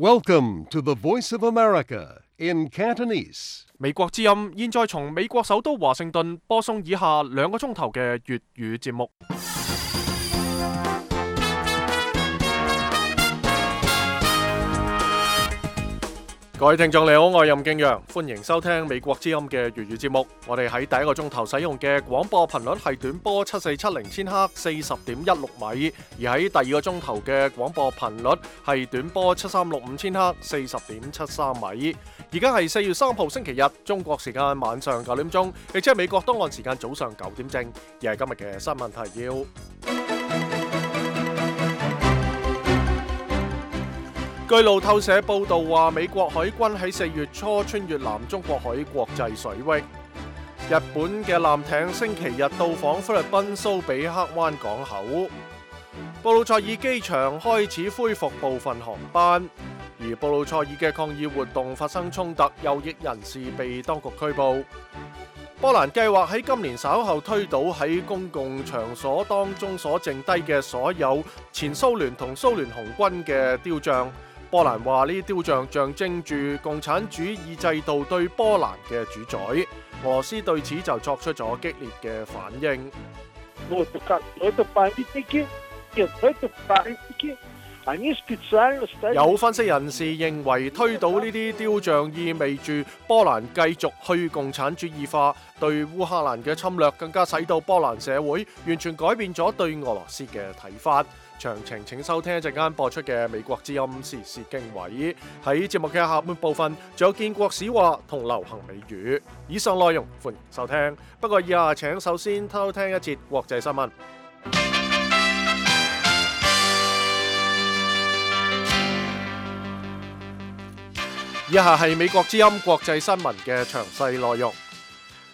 Welcome to the Voice of America in Cantonese. 美國之音現在從美國首都華盛頓播送以下2個鐘頭嘅粵語節目。各位聽眾你好，我係任敬陽，歡迎收聽美國之音嘅粵語節目。我哋喺第一個鐘頭使用嘅廣播頻率係短波7470千赫40.16米，而喺第二個鐘頭嘅廣播頻率係短波7365千赫40.73米。而家係4月3號星期日，中國時間晚上9點鐘，亦即係美國東岸時間早上9點正。而係今日嘅新聞提要。據路透社報道話，美國海軍喺4月初穿越南中國海國際水域。日本嘅艦艇星期日到訪菲律賓蘇比克灣港口。布魯塞爾機場開始恢復部分航班，而布魯塞爾嘅抗議活動發生衝突，右翼人士被當局拘捕。波蘭計劃喺今年稍後推倒喺公共場所當中所剩低嘅所有前蘇聯同蘇聯紅軍嘅雕像。波蘭話呢啲雕像象徵住共產主義制度對波蘭嘅主宰。俄羅斯對此就作出咗激烈嘅反應。有分析人士認為，推倒呢啲雕像意味住波蘭繼續去共產主義化，對烏克蘭嘅侵略更加使到波蘭社會完全改變咗對俄羅斯嘅睇法。詳情請收聽一陣間播出嘅美國之音時事經緯。喺節目嘅下半部分，仲有建國史話同流行美語。以上內容歡迎收聽。不過以下請首先偷聽一節國際新聞。以下係美國之音國際新聞嘅詳細內容。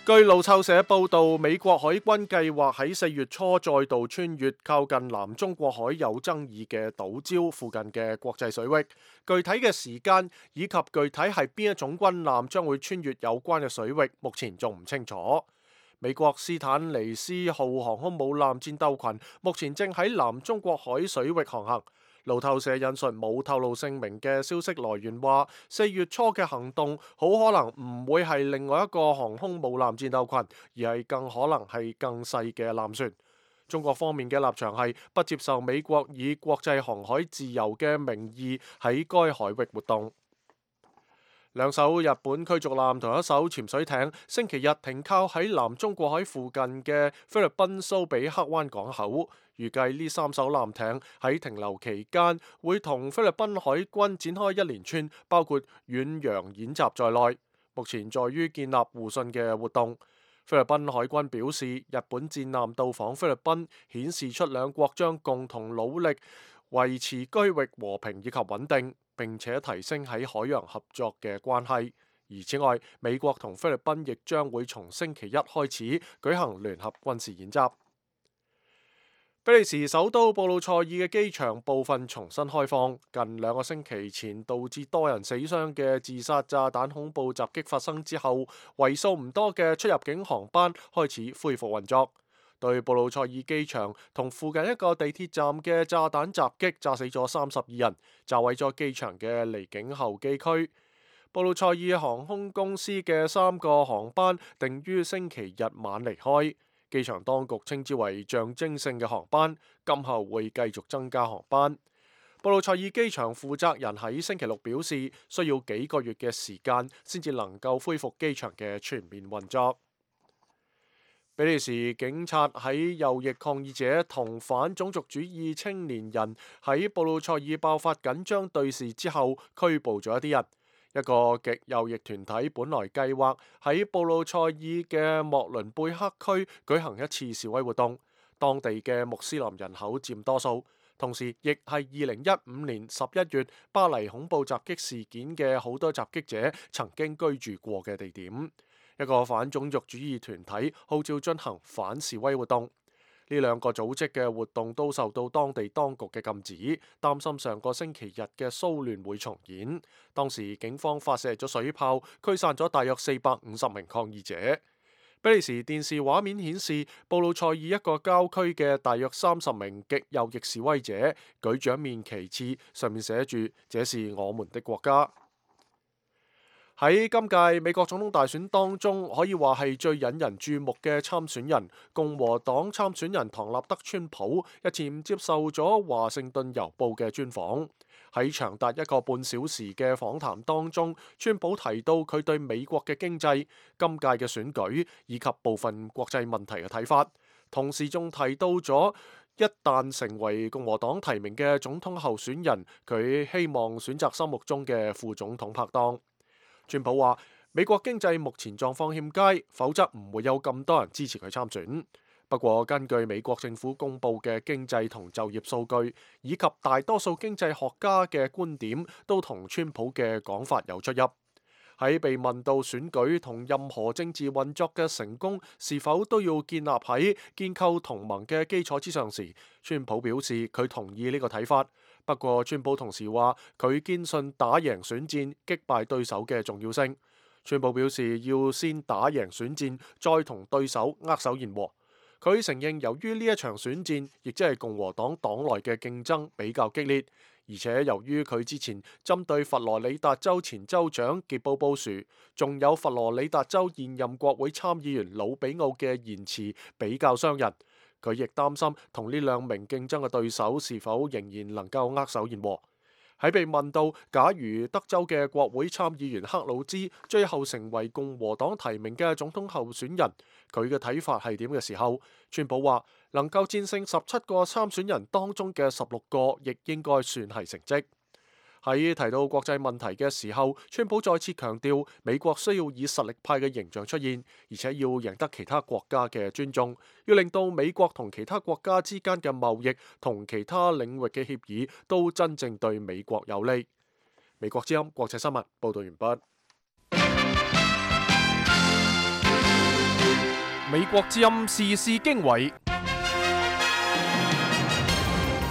據路透社報道，美國海軍計劃喺4月初再度穿越靠近南中國海有爭議嘅島礁附近嘅國際水域。具體嘅時間以及具體係邊一種軍艦將會穿越有關嘅水域，目前仲唔清楚。美國斯坦尼斯號航空母艦戰鬥群目前正喺南中國海水域航行。路透社引述冇透露姓名嘅消息來源話，4月初嘅行動好可能唔會係另外一個航空母艦戰鬥群，而係更可能係更細嘅艦船。中國方面嘅立場係不接受美國以國際航海自由嘅名義喺該海域活動。2艘日本驅逐艦同1艘潛水艇星期日停靠喺南中國海附近嘅菲律賓蘇比克灣港口。預計呢3艘艦艇喺停留期間會同菲律賓海軍展開一連串包括遠洋演習在內，目前在於建立互信嘅活動。菲律賓海軍表示，日本戰艦到訪菲律賓顯示出兩國將共同努力維持區域和平以及穩定，並且提升喺海洋合作嘅關係。而此外，美國同菲律賓亦將會從星期一開始舉行聯合軍事演習。比利時首都布魯塞爾嘅機場部分重新開放。近2個星期前導致多人死傷嘅自殺炸彈恐怖襲擊發生之後，為數唔多嘅出入境航班開始恢復運作。對布魯塞爾機場同附近一個地鐵站嘅炸彈襲擊，炸死咗32人，炸毀咗機場嘅離境候機區。布魯塞爾航空公司嘅3個航班定於星期日晚離開。機場當局稱之為象徵性嘅航班，今後會繼續增加航班。布魯塞爾機場負責人喺星期六表示，需要幾個月嘅時間先至能夠恢復機場嘅全面運作。比利時警察喺右翼抗議者同反種族主義青年人喺布魯塞爾爆發緊張對峙之後，拘捕咗一啲人。一個極右翼團體本來計劃喺布魯塞爾嘅莫倫貝克區舉行一次示威活動，當地嘅穆斯林人口佔多數，同時亦係2015年11月巴黎恐怖襲擊事件嘅好多襲擊者曾經居住過嘅地點。一個反種族主義團體號召進行反示威活動。呢2個組織嘅活動都受到當地當局嘅禁止，擔心上個星期日嘅騷亂會重演。當時警方發射咗水炮，驅散咗大約450名抗議者。比利時電視畫面顯示，布魯塞爾一個郊區嘅大約30名極右翼示威者舉住一面旗幟，上面寫住「這是我們的國家」。喺今屆美國總統大選當中，可以話係最引人注目嘅參選人，共和黨參選人唐納德·川普日前接受咗華盛頓郵報嘅專訪。喺長達1個半小時嘅訪談當中，川普提到佢對美國嘅經濟、今屆嘅選舉以及部分國際問題嘅睇法，同時仲提到咗一旦成為共和黨提名嘅總統候選人，佢希望選擇心目中嘅副總統拍檔。川普話：美國經濟目前狀況欠佳，否則唔會有咁多人支持佢參選。不過，根據美國政府公布嘅經濟同就業數據，以及大多數經濟學家嘅觀點，都同川普嘅講法有出入。喺被問到選舉同任何政治運作嘅成功是否都要建立喺建構同盟嘅基礎之上時，川普表示佢同意呢個睇法。不過，川普同時話佢堅信打贏選戰、擊敗對手嘅重要性。川普表示要先打贏選戰，再同對手握手言和。佢承認由於呢一場選戰，亦即係共和黨黨內嘅競爭比較激烈，而且由於佢之前針對佛羅里達州前州長傑布布殊，仲有佛羅里達州現任國會參議員魯比奧嘅言辭比較傷人。佢亦擔心同呢2名競爭嘅對手是否仍然能夠握手言和。喺被問到假如德州嘅國會參議員克魯茲最後成為共和黨提名嘅總統候選人，佢嘅睇法係點嘅時候，川普話能夠戰勝17個參選人當中嘅16個，亦應該算係成績。喺提到國際問題嘅時候，川普再次強調美國需要以實力派嘅形象出現，而且要贏得其他國家嘅尊重，要令到美國同其他國家之間嘅貿易同其他領域嘅協議都真正對美國有利。美國之音國際新聞報道完畢。美國之音時事經緯。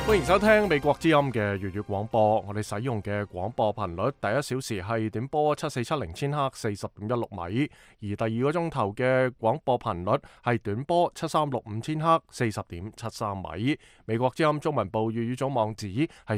歡迎收聽美國之音嘅粵語廣播。我哋使用嘅廣播頻率，第1小時係短波7470千赫40.16米，而第2個鐘頭嘅廣播頻率係短波7365千赫40.73米。美國之音中文部粵語組網址係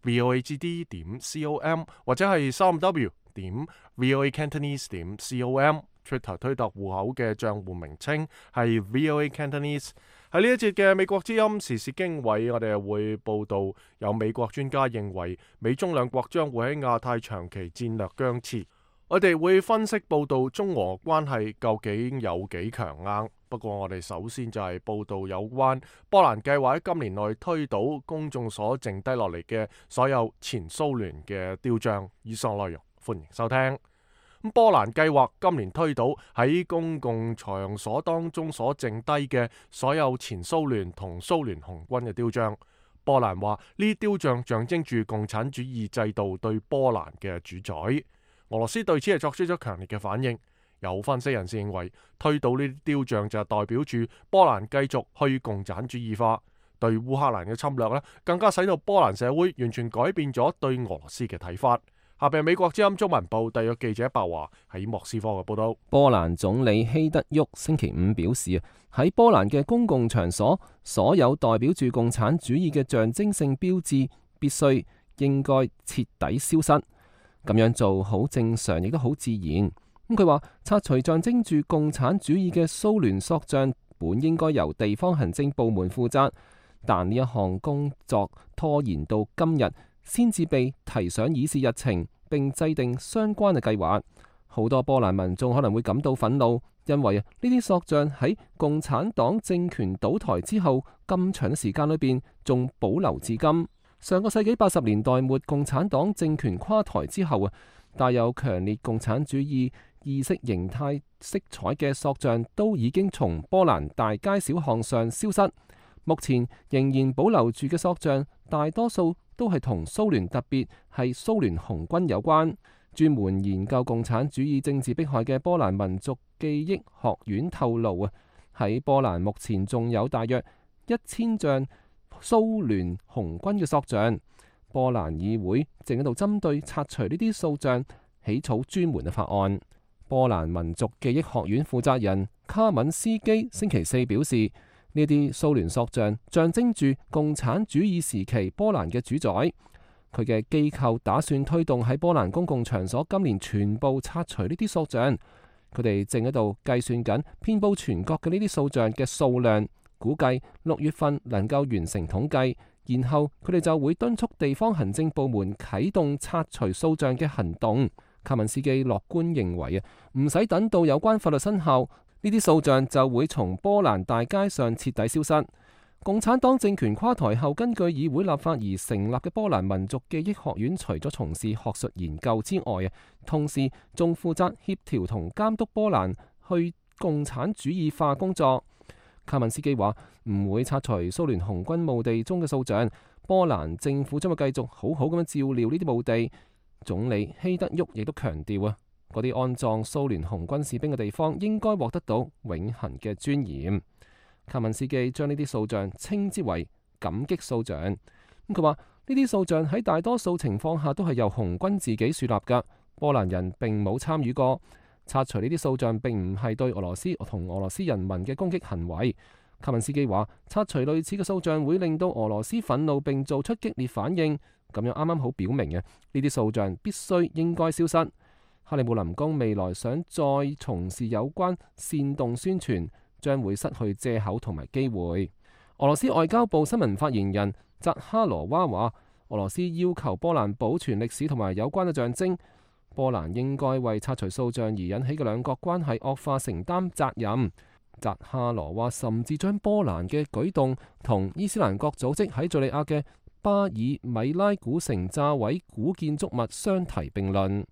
3w.voagd.com 或者係3w.voacantonese.com。Twitter 推特戶口嘅賬戶名稱係 VOA Cantonese。喺呢一節嘅美國之音時事經緯，我哋會報道有美國專家認為美中兩國將會喺亞太長期戰略僵持。我哋會分析報道中俄關係究竟有幾強硬。不過我哋首先就係報道有關波蘭計劃喺今年內推倒公眾所剩低落嚟嘅所有前蘇聯嘅雕像。以上內容歡迎收聽。波蘭計劃今年推倒喺公共場所當中所剩低嘅所有前蘇聯同蘇聯紅軍嘅雕像。波蘭話呢啲雕像象徵住共產主義制度對波蘭嘅主宰。俄羅斯對此係作出咗強烈嘅反應。有分析人士認為，推倒呢啲雕像就係代表住波蘭繼續去共產主義化。對烏克蘭嘅侵略呢，更加使到波蘭社會完全改變咗對俄羅斯嘅睇法。下邊美國之音中文部特約記者白華喺莫斯科嘅報道。波蘭總理希德沃星期5表示，喺波蘭嘅公共場所，所有代表住共產主義嘅象徵性標誌必須應該徹底消失。咁樣做好正常，亦都好自然。佢話拆除象徵住共產主義嘅蘇聯塑像本應該由地方行政部門負責，但呢一項工作拖延到今日先至被提上議事日程，並制定相關嘅計劃。好多波蘭民眾可能會感到憤怒，因為呢啲塑像喺共產黨政權倒台之後咁長嘅時間裏邊仲保留至今。上個世紀80年代末共產黨政權垮台之後帶有強烈共產主義意識形態色彩嘅塑像都已經從波蘭大街小巷上消失。目前仍然保留住嘅塑像，大多數都係同蘇聯，特別係蘇聯紅軍有關。專門研究共產主義政治迫害嘅波蘭民族記憶學院透露喺波蘭目前仲有大約1000像蘇聯紅軍嘅塑像。波蘭議會正喺度針對拆除呢啲塑像起草專門嘅法案。波蘭民族記憶學院負責人卡敏斯基星期四表示，呢啲蘇聯塑像象徵住共產主義時期波蘭嘅主宰。佢嘅機構打算推動喺波蘭公共場所今年全部拆除呢啲塑像。佢哋正喺度計算緊遍佈全國嘅呢啲塑像嘅數量，估計6月份能夠完成統計，然後佢哋就會敦促地方行政部門啟動拆除塑像嘅行動。卡文斯基樂觀認為唔使等到有關法律生效，呢啲塑像就會從波蘭大街上徹底消失。共產黨政權垮台後，根據議會立法而成立嘅波蘭民族記憶學院，除咗從事學術研究之外，同時仲負責協調同監督波蘭去共產主義化工作。卡文斯基話唔會拆除蘇聯紅軍墓地中嘅塑像，波蘭政府將會繼續好好咁樣照料呢啲墓地。總理希德沃亦都強調嗰啲安葬蘇聯紅軍士兵嘅地方應該獲得到永恆嘅尊嚴。卡文斯基將呢啲塑像稱之為感激塑像。佢話呢啲塑像喺大多數情況下都係由紅軍自己樹立㗎，波蘭人並冇參與過。拆除呢啲塑像並唔係對俄羅斯同俄羅斯人民嘅攻擊行為。卡文斯基話拆除類似嘅塑像會令到俄羅斯憤怒並做出激烈反應，咁樣啱啱好表明呢啲塑像必須應該消失。克里姆林宮未來想再從事有關煽動宣傳，將會失去藉口同埋機會。俄羅斯外交部新聞發言人扎哈羅娃話，俄羅斯要求波蘭保存歷史同埋有關嘅象徵，波蘭應該為拆除塑像而引起嘅兩國關係惡化承擔責任。扎哈羅娃甚至將波蘭嘅舉動同伊斯蘭國組織喺敘利亞嘅巴爾米拉古城炸毀古建築物相提並論。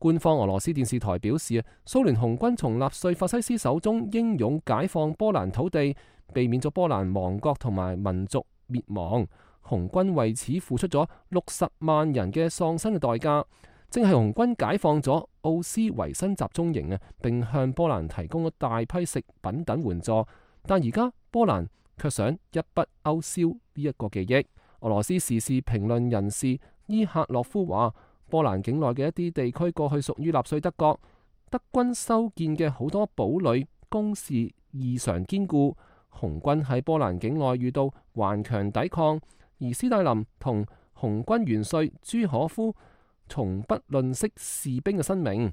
官方俄羅斯電視台表示，蘇聯紅軍從納粹法西斯手中英勇解放波蘭土地，避免咗波蘭亡國同埋民族滅亡。紅軍為此付出咗60萬人嘅喪生嘅代價。正係紅軍解放咗奧斯維辛集中營並向波蘭提供咗大批食品等援助，但而家波蘭卻想一筆勾銷呢一個記憶。俄羅斯時事評論人士伊赫洛夫話，波蘭境內嘅一啲地區過去屬於納粹德國，德軍修建嘅好多堡壘工事異常堅固，紅軍喺波蘭境內遇到頑強抵抗，而斯大林同紅軍元帥朱可夫從不吝惜士兵嘅生命，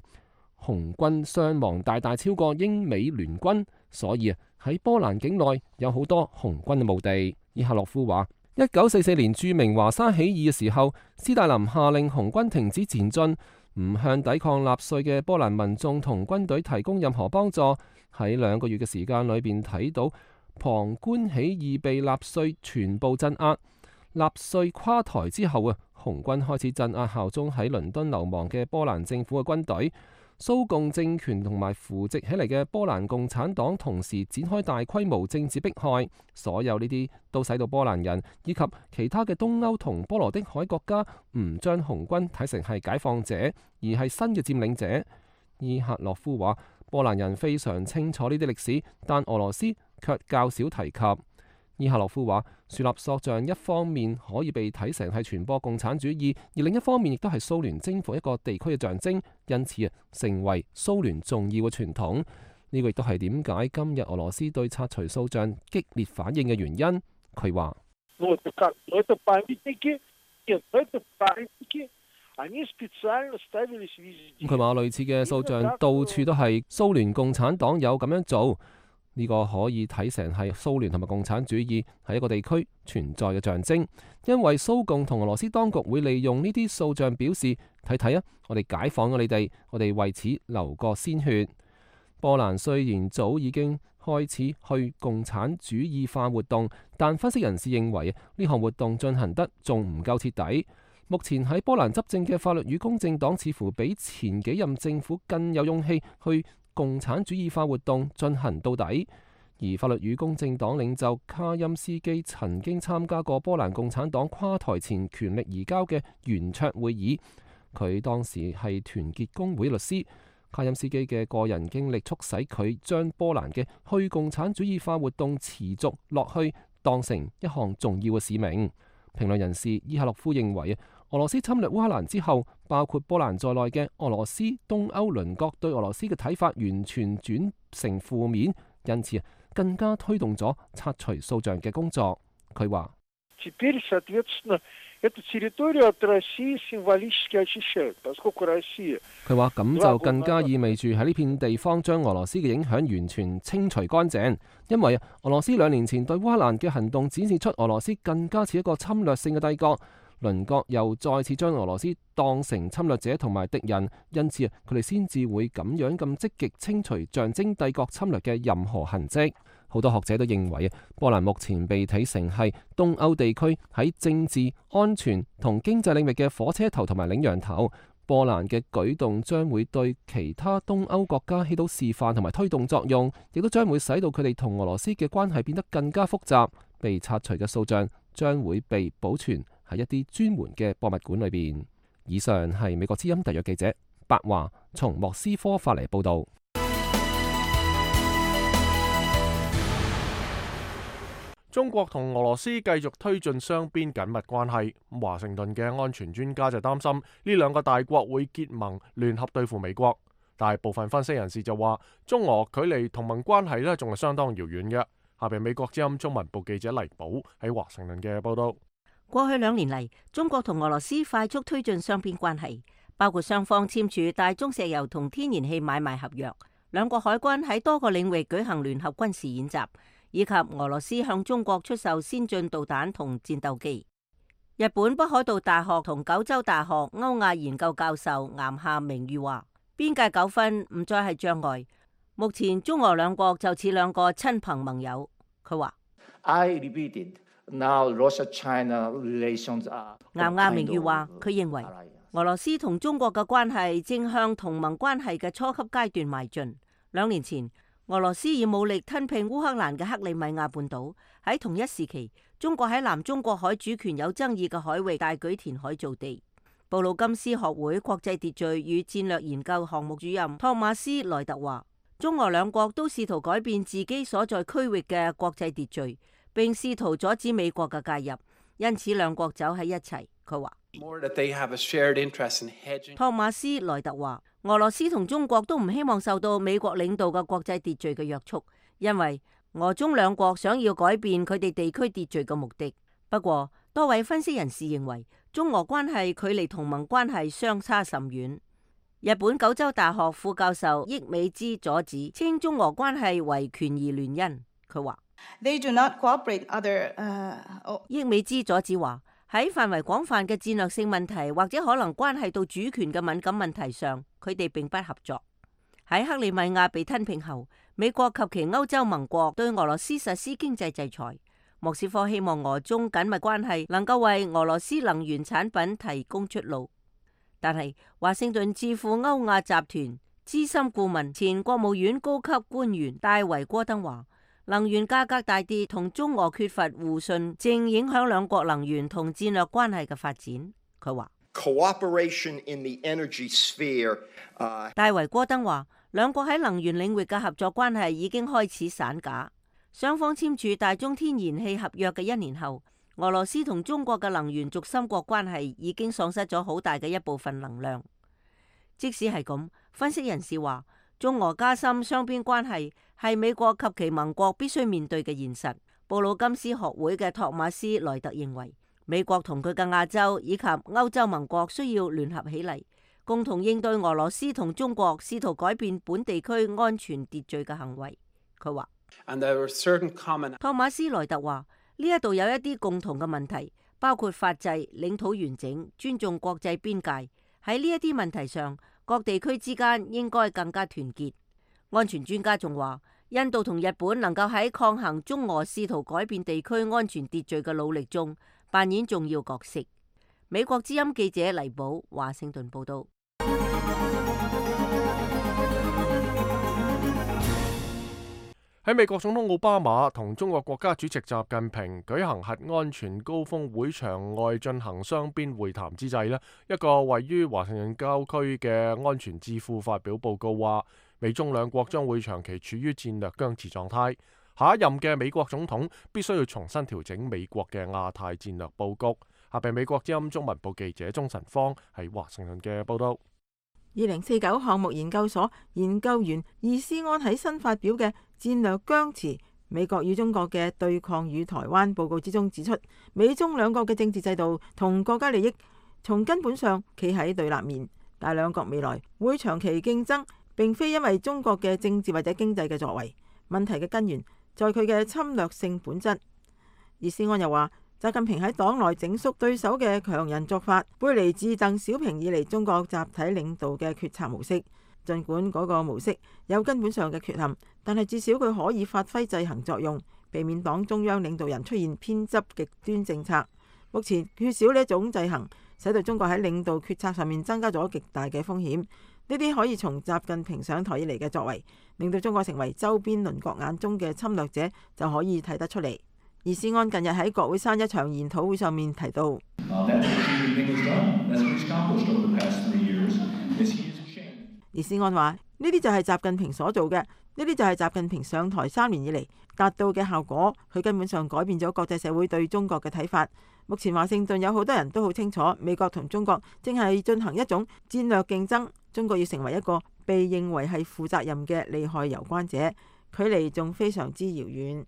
紅軍傷亡大大超過英美聯軍，所以喺波蘭境內有好多紅軍嘅墓地。伊赫洛夫話，1944年著名華沙起義嘅時候，斯大林下令紅軍停止前進，唔向抵抗納粹嘅波蘭民眾同軍隊提供任何幫助。喺2個月嘅時間裏邊睇到旁觀起義被納粹全部鎮壓。納粹垮台之後紅軍開始鎮壓效忠喺倫敦流亡嘅波蘭政府嘅軍隊。蘇共政權同埋扶植起嚟嘅波蘭共產黨同時展開大規模政治迫害，所有呢啲都使到波蘭人以及其他嘅東歐同波羅的海國家唔將紅軍睇成係解放者，而係新嘅佔領者。伊赫洛夫話，波蘭人非常清楚呢啲歷史，但俄羅斯卻較少提及。伊赫洛夫話，樹立塑像一方面可以被睇成係傳播共產主義，而另一方面亦都係蘇聯征服一個地區嘅象徵，因此成為蘇聯重要嘅傳統。呢個亦都係點解今日俄羅斯對拆除塑像激烈反應嘅原因。佢話：佢話類似嘅塑像到處都係，蘇聯共產黨有咁樣做。呢個可以睇成係蘇聯同埋共產主義喺一個地區存在嘅象徵，因為蘇共同俄羅斯當局會利用呢啲塑像表示，睇睇我哋解放咗你哋，我哋為此流過鮮血。波蘭雖然早已經開始去共產主義化活動，但分析人士認為呢項活動進行得仲唔夠徹底。目前喺波蘭執政嘅法律與公正黨似乎比前幾任政府更有勇氣去共產主義化活動進行到底，而法律與公正黨領袖卡欽斯基曾經參加過波蘭共產黨垮台前權力移交嘅圓桌會議，佢當時係團結工會律師。卡欽斯基嘅個人經歷促使佢將波蘭嘅去共產主義化活動持續落去當成一項重要嘅使命。評論人士伊赫洛夫認為，俄羅斯侵略烏克蘭之後，包括波蘭在內嘅俄羅斯東歐鄰國對俄羅斯嘅睇法完全轉成負面，因此更加推動咗拆除掃像嘅工作。佢話：佢話咁就更加意味住喺呢片地方將俄羅斯嘅影響完全清除乾淨，因為俄羅斯2年前對烏克蘭嘅行動展示出俄羅斯更加似一個侵略性嘅帝國。鄰國又再次將俄羅斯當成侵略者同埋敵人，因此佢哋先至會咁樣咁積極清除象徵帝國侵略嘅任何痕跡。好多學者都認為波蘭目前被睇成係東歐地區喺政治、安全同經濟領域嘅火車頭同埋領羊頭。波蘭嘅舉動將會對其他東歐國家起到示範同埋推動作用，亦都將會使到佢哋同俄羅斯嘅關係變得更加複雜。被拆除嘅掃像將會被保存喺一啲專門嘅博物館裏邊。以上係美國之音特約記者白華從莫斯科發嚟報道。中國同俄羅斯繼續推進雙邊緊密關係，華盛頓嘅安全專家就擔心呢兩個大國會結盟聯合對付美國，但係部分分析人士就話中俄距離同盟關係仲係相當遙遠嘅。下邊美國之音中文部記者黎寶喺華盛頓嘅報道。過去2年嚟，中國同俄羅斯快速推進雙邊關係，包括雙方簽署大宗石油同天然氣買賣合約，兩國海軍喺多個領域舉行聯合軍事演習，以及俄羅斯向中國出售先進導彈同戰鬥機。日本北海道大學同九州大學歐亞研究教授岩下明裕話：邊界糾紛唔再係障礙，目前中俄兩國就似兩個親朋盟友。佢話：岩下明裕話，佢認為俄羅斯同中國嘅關係正向同盟關係嘅初級階段邁進。2年前，俄羅斯以武力吞併烏克蘭嘅克里米亞半島，喺同一時期，中國喺南中國海主權有爭議嘅海域大舉填海造地。布魯金斯學會國際秩序與戰略研究項目主任托馬斯萊特話：中俄兩國都試圖改變自己所在區域嘅國際秩序，並試圖阻止美國嘅介入，因此兩國走喺一齊。佢話：托馬斯萊特話，俄羅斯同中國都唔希望受到美國領導嘅國際秩序嘅約束，因為俄中兩國想要改變佢哋地區秩序嘅目的。不過，多位分析人士認為，中俄關係距離同盟關係相差甚遠。日本九州大學副教授益美之佐子稱中俄關係為權宜聯姻。佢話：益美之佐子話，喺範圍廣泛嘅戰略性問題或者可能關係到主權嘅敏感問題上，佢哋並不合作。喺克里米亞被吞併後，美國及其歐洲盟國對俄羅斯實施經濟制裁。莫斯科希望俄中緊密關係能夠為俄羅斯能源產品提供出路。但係華盛頓智庫歐亞集團資深顧問、前國務院高級官員戴維戈登話：能源價格大跌同中俄缺乏互信，正影響兩國能源同戰略關係嘅發展。佢話：戴維戈登話，兩國喺能源領域嘅合作關係已經開始散架。雙方簽署大宗天然氣合約嘅1年後，俄羅斯同中國嘅能源軸心國關係已經喪失咗好大嘅一部分能量。即使係咁，分析人士話，中俄加深雙邊關係係美國及其盟國必須面對嘅現實。布魯金斯學會嘅托馬斯萊特認為，美國同佢嘅亞洲以及歐洲盟國需要聯合起嚟，共同應對俄羅斯同中國試圖改變本地區安全秩序嘅行為。佢話：托馬斯萊特話，呢一度有一啲共同嘅問題，包括法制、領土完整、尊重國際邊界。喺呢一啲問題上，各地區之間應該更加團結。安全專家仲話，印度同日本能夠喺抗衡中俄試圖改變地區安全秩序嘅努力中扮演重要角色。美國之音記者黎寶華盛頓報道。喺美國總統奧巴馬同中國國家主席習近平舉行核安全高峰會場外進行雙邊會談之際，一個位於華盛頓郊區嘅安全智庫發表報告話，美中兩國將會長期處於戰略僵持狀態。下一任嘅美國總統必須要重新調整美國嘅亞太戰略佈局。下邊美國之音中文部記者鍾晨芳喺華盛頓嘅報道。2049項目研究所研究員易思安喺新發表嘅戰略僵持美國與中國嘅對抗與台灣報告之中指出，美中兩國嘅政治制度同國家利益從根本上企喺對立面，但兩國未來會長期競爭，並非因為中國嘅政治或者經濟嘅作為，問題嘅根源在佢嘅侵略性本質。易思安又話，習近平喺黨內整肅對手嘅強人作法，背離自鄧小平以嚟中國集體領導嘅決策模式。儘管嗰個模式有根本上嘅缺陷，但係至少佢可以發揮制衡作用，避免黨中央領導人出現偏執極端政策。目前缺少呢一種制衡，使到中國喺領導決策上面增加咗極大嘅風險。呢啲可以從習近平上台以嚟嘅作為，令到中國成為周邊鄰國眼中嘅侵略者，就可以睇得出嚟。易思安近日喺國會山一場研討會上面提到，易思安話：呢啲就係習近平所做嘅，呢啲就係習近平上台3年以嚟達到嘅效果。佢根本上改變咗國際社會對中國嘅睇法。目前華盛頓有好多人都好清楚，美國同中國正係進行一種戰略競爭，中國要成為一個被認為係負責任嘅利害攸關者，距離仲非常之遙遠。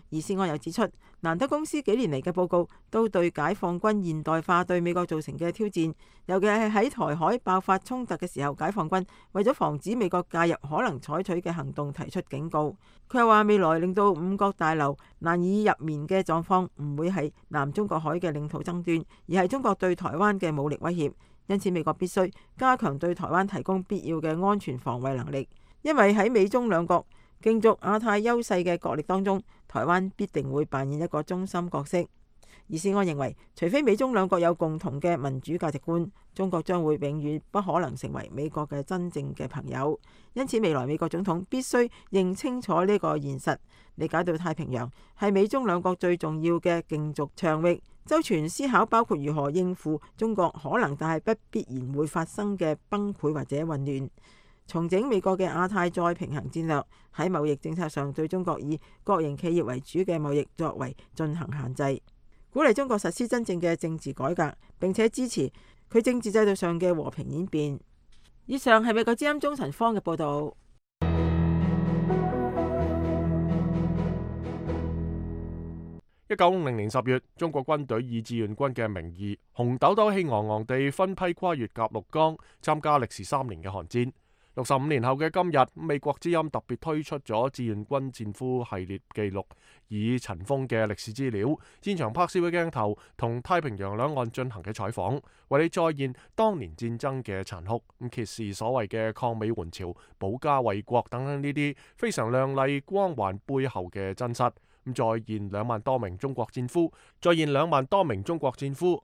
易思安又指出，蘭德公司幾年嚟嘅報告都對解放軍現代化對美國造成嘅挑戰，尤其係喺台海爆發衝突嘅時候，解放軍為咗防止美國介入可能採取嘅行動提出警告。佢又話，未來令到五角大樓難以入眠嘅狀況唔會係南中國海嘅領土爭端，而係中國對台灣嘅武力威脅。因此美國必須加強對台灣提供必要嘅安全防衛能力，因為喺美中兩國競逐亞太優勢嘅角力當中，台灣必定會扮演一個中心角色。易思安認為，除非美中兩國有共同嘅民主價值觀，中國將會永遠不可能成為美國嘅真正嘅朋友。因此，未來美國總統必須認清楚呢個現實，理解到太平洋係美中兩國最重要嘅競逐場域，周全思考包括如何應付中國可能但係不必然會發生嘅崩潰或者混亂。重整美國嘅亞太再平衡戰略，喺貿易政策上對中國以國營企業為主嘅貿易作為進行限制，鼓勵中國實施真正嘅政治改革，並且支持佢政治制度上嘅和平演變。以上係美國之音鍾晨芳嘅報道。1950年10月，中國軍隊以志願軍嘅名義，紅豆豆氣昂昂地分批跨越鴨綠江，參加歷時3年嘅韓戰。65年後嘅今日，美國之音特別推出咗志願軍戰俘系列記錄，以塵封嘅歷史資料、現場拍攝嘅鏡頭同太平洋兩岸進行嘅採訪，為你再現當年戰爭嘅殘酷，揭示所謂嘅抗美援朝、保家衛國等等呢啲非常亮麗光環背後嘅真實。再現2萬多名中國戰俘，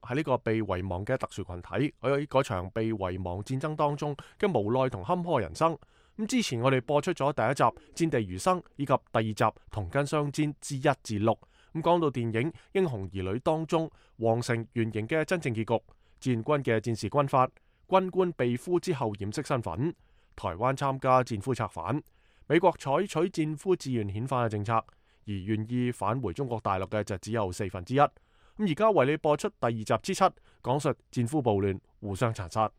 喺呢個被遺忘嘅特殊群體，喺嗰場被遺忘戰爭當中嘅無奈同坎坷人生。之前我哋播出咗第1集戰地餘生，以及第2集同根相煎之1至6。講到電影《英雄兒女》當中皇城原型嘅真正結局，志願軍嘅戰時軍法，軍官被俘之後掩飾身份，台灣參加戰俘策反，美國採取戰俘志願遣返嘅政策，而願意返回中國大陸嘅就只有1/4。而家為你播出第2集之7，講述戰俘暴亂互相殘殺。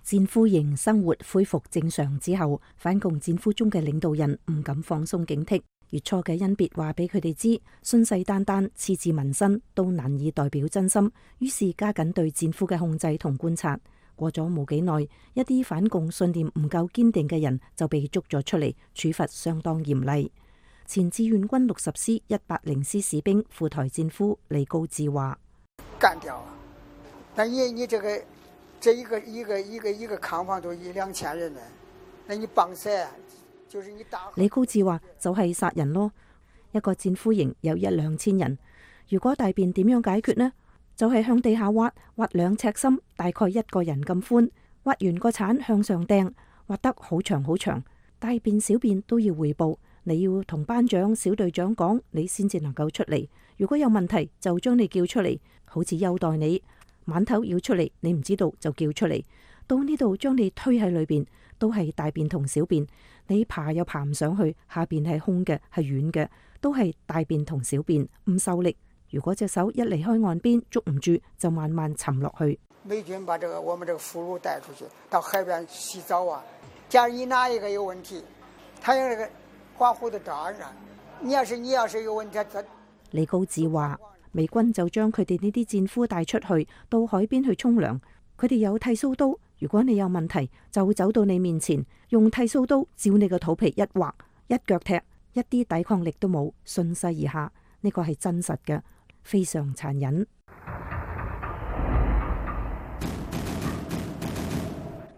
戰俘營生活恢復正常之後，反共戰俘中嘅領導人唔敢放鬆警惕。月初嘅恩別話俾佢哋知，信誓旦旦、矢志民生都難以代表真心，於是加緊對戰俘嘅控制同觀察。過咗冇幾耐，一啲反共信念唔夠堅定嘅人就被捉咗出嚟，處罰相當嚴厲。前志願軍60師180師士兵赴台戰俘李高志話：幹掉啊！但你這一個扛房都1-2千人呢，那你幫誰？就是你打。李高志話：就係殺人咯！一個戰俘營有1-2千人，如果大便點樣解決呢？就係向地下挖2尺深，大概1個人咁寬，挖完個鏟向上掟，挖得好長好長，大便小便都要匯報。你要同班長、小隊長講，你先至能夠出嚟。如果有問題，就將你叫出嚟，好似優待你。晚頭要出嚟，你唔知道就叫出嚟。到呢度將你推喺裏邊，都係大便同小便。你爬又爬唔上去，下邊係空嘅，係軟嘅，都係大便同小便，唔受力。如果隻手一離開岸邊捉唔住，就慢慢沉落去。美軍把我們這個俘虜帶出去，到海邊洗澡啊。假如你哪一個有問題，他有那個保護的罩啊。你要是有問題，李高志話，美軍就將佢哋呢啲戰俘帶出去到海邊去沖涼，佢哋有剃鬚刀，如果你有問題，就走到你面前，用剃鬚刀照你個肚皮一劃，一腳踢，一啲抵抗力都冇，順勢而下。呢個係真實嘅，非常殘忍。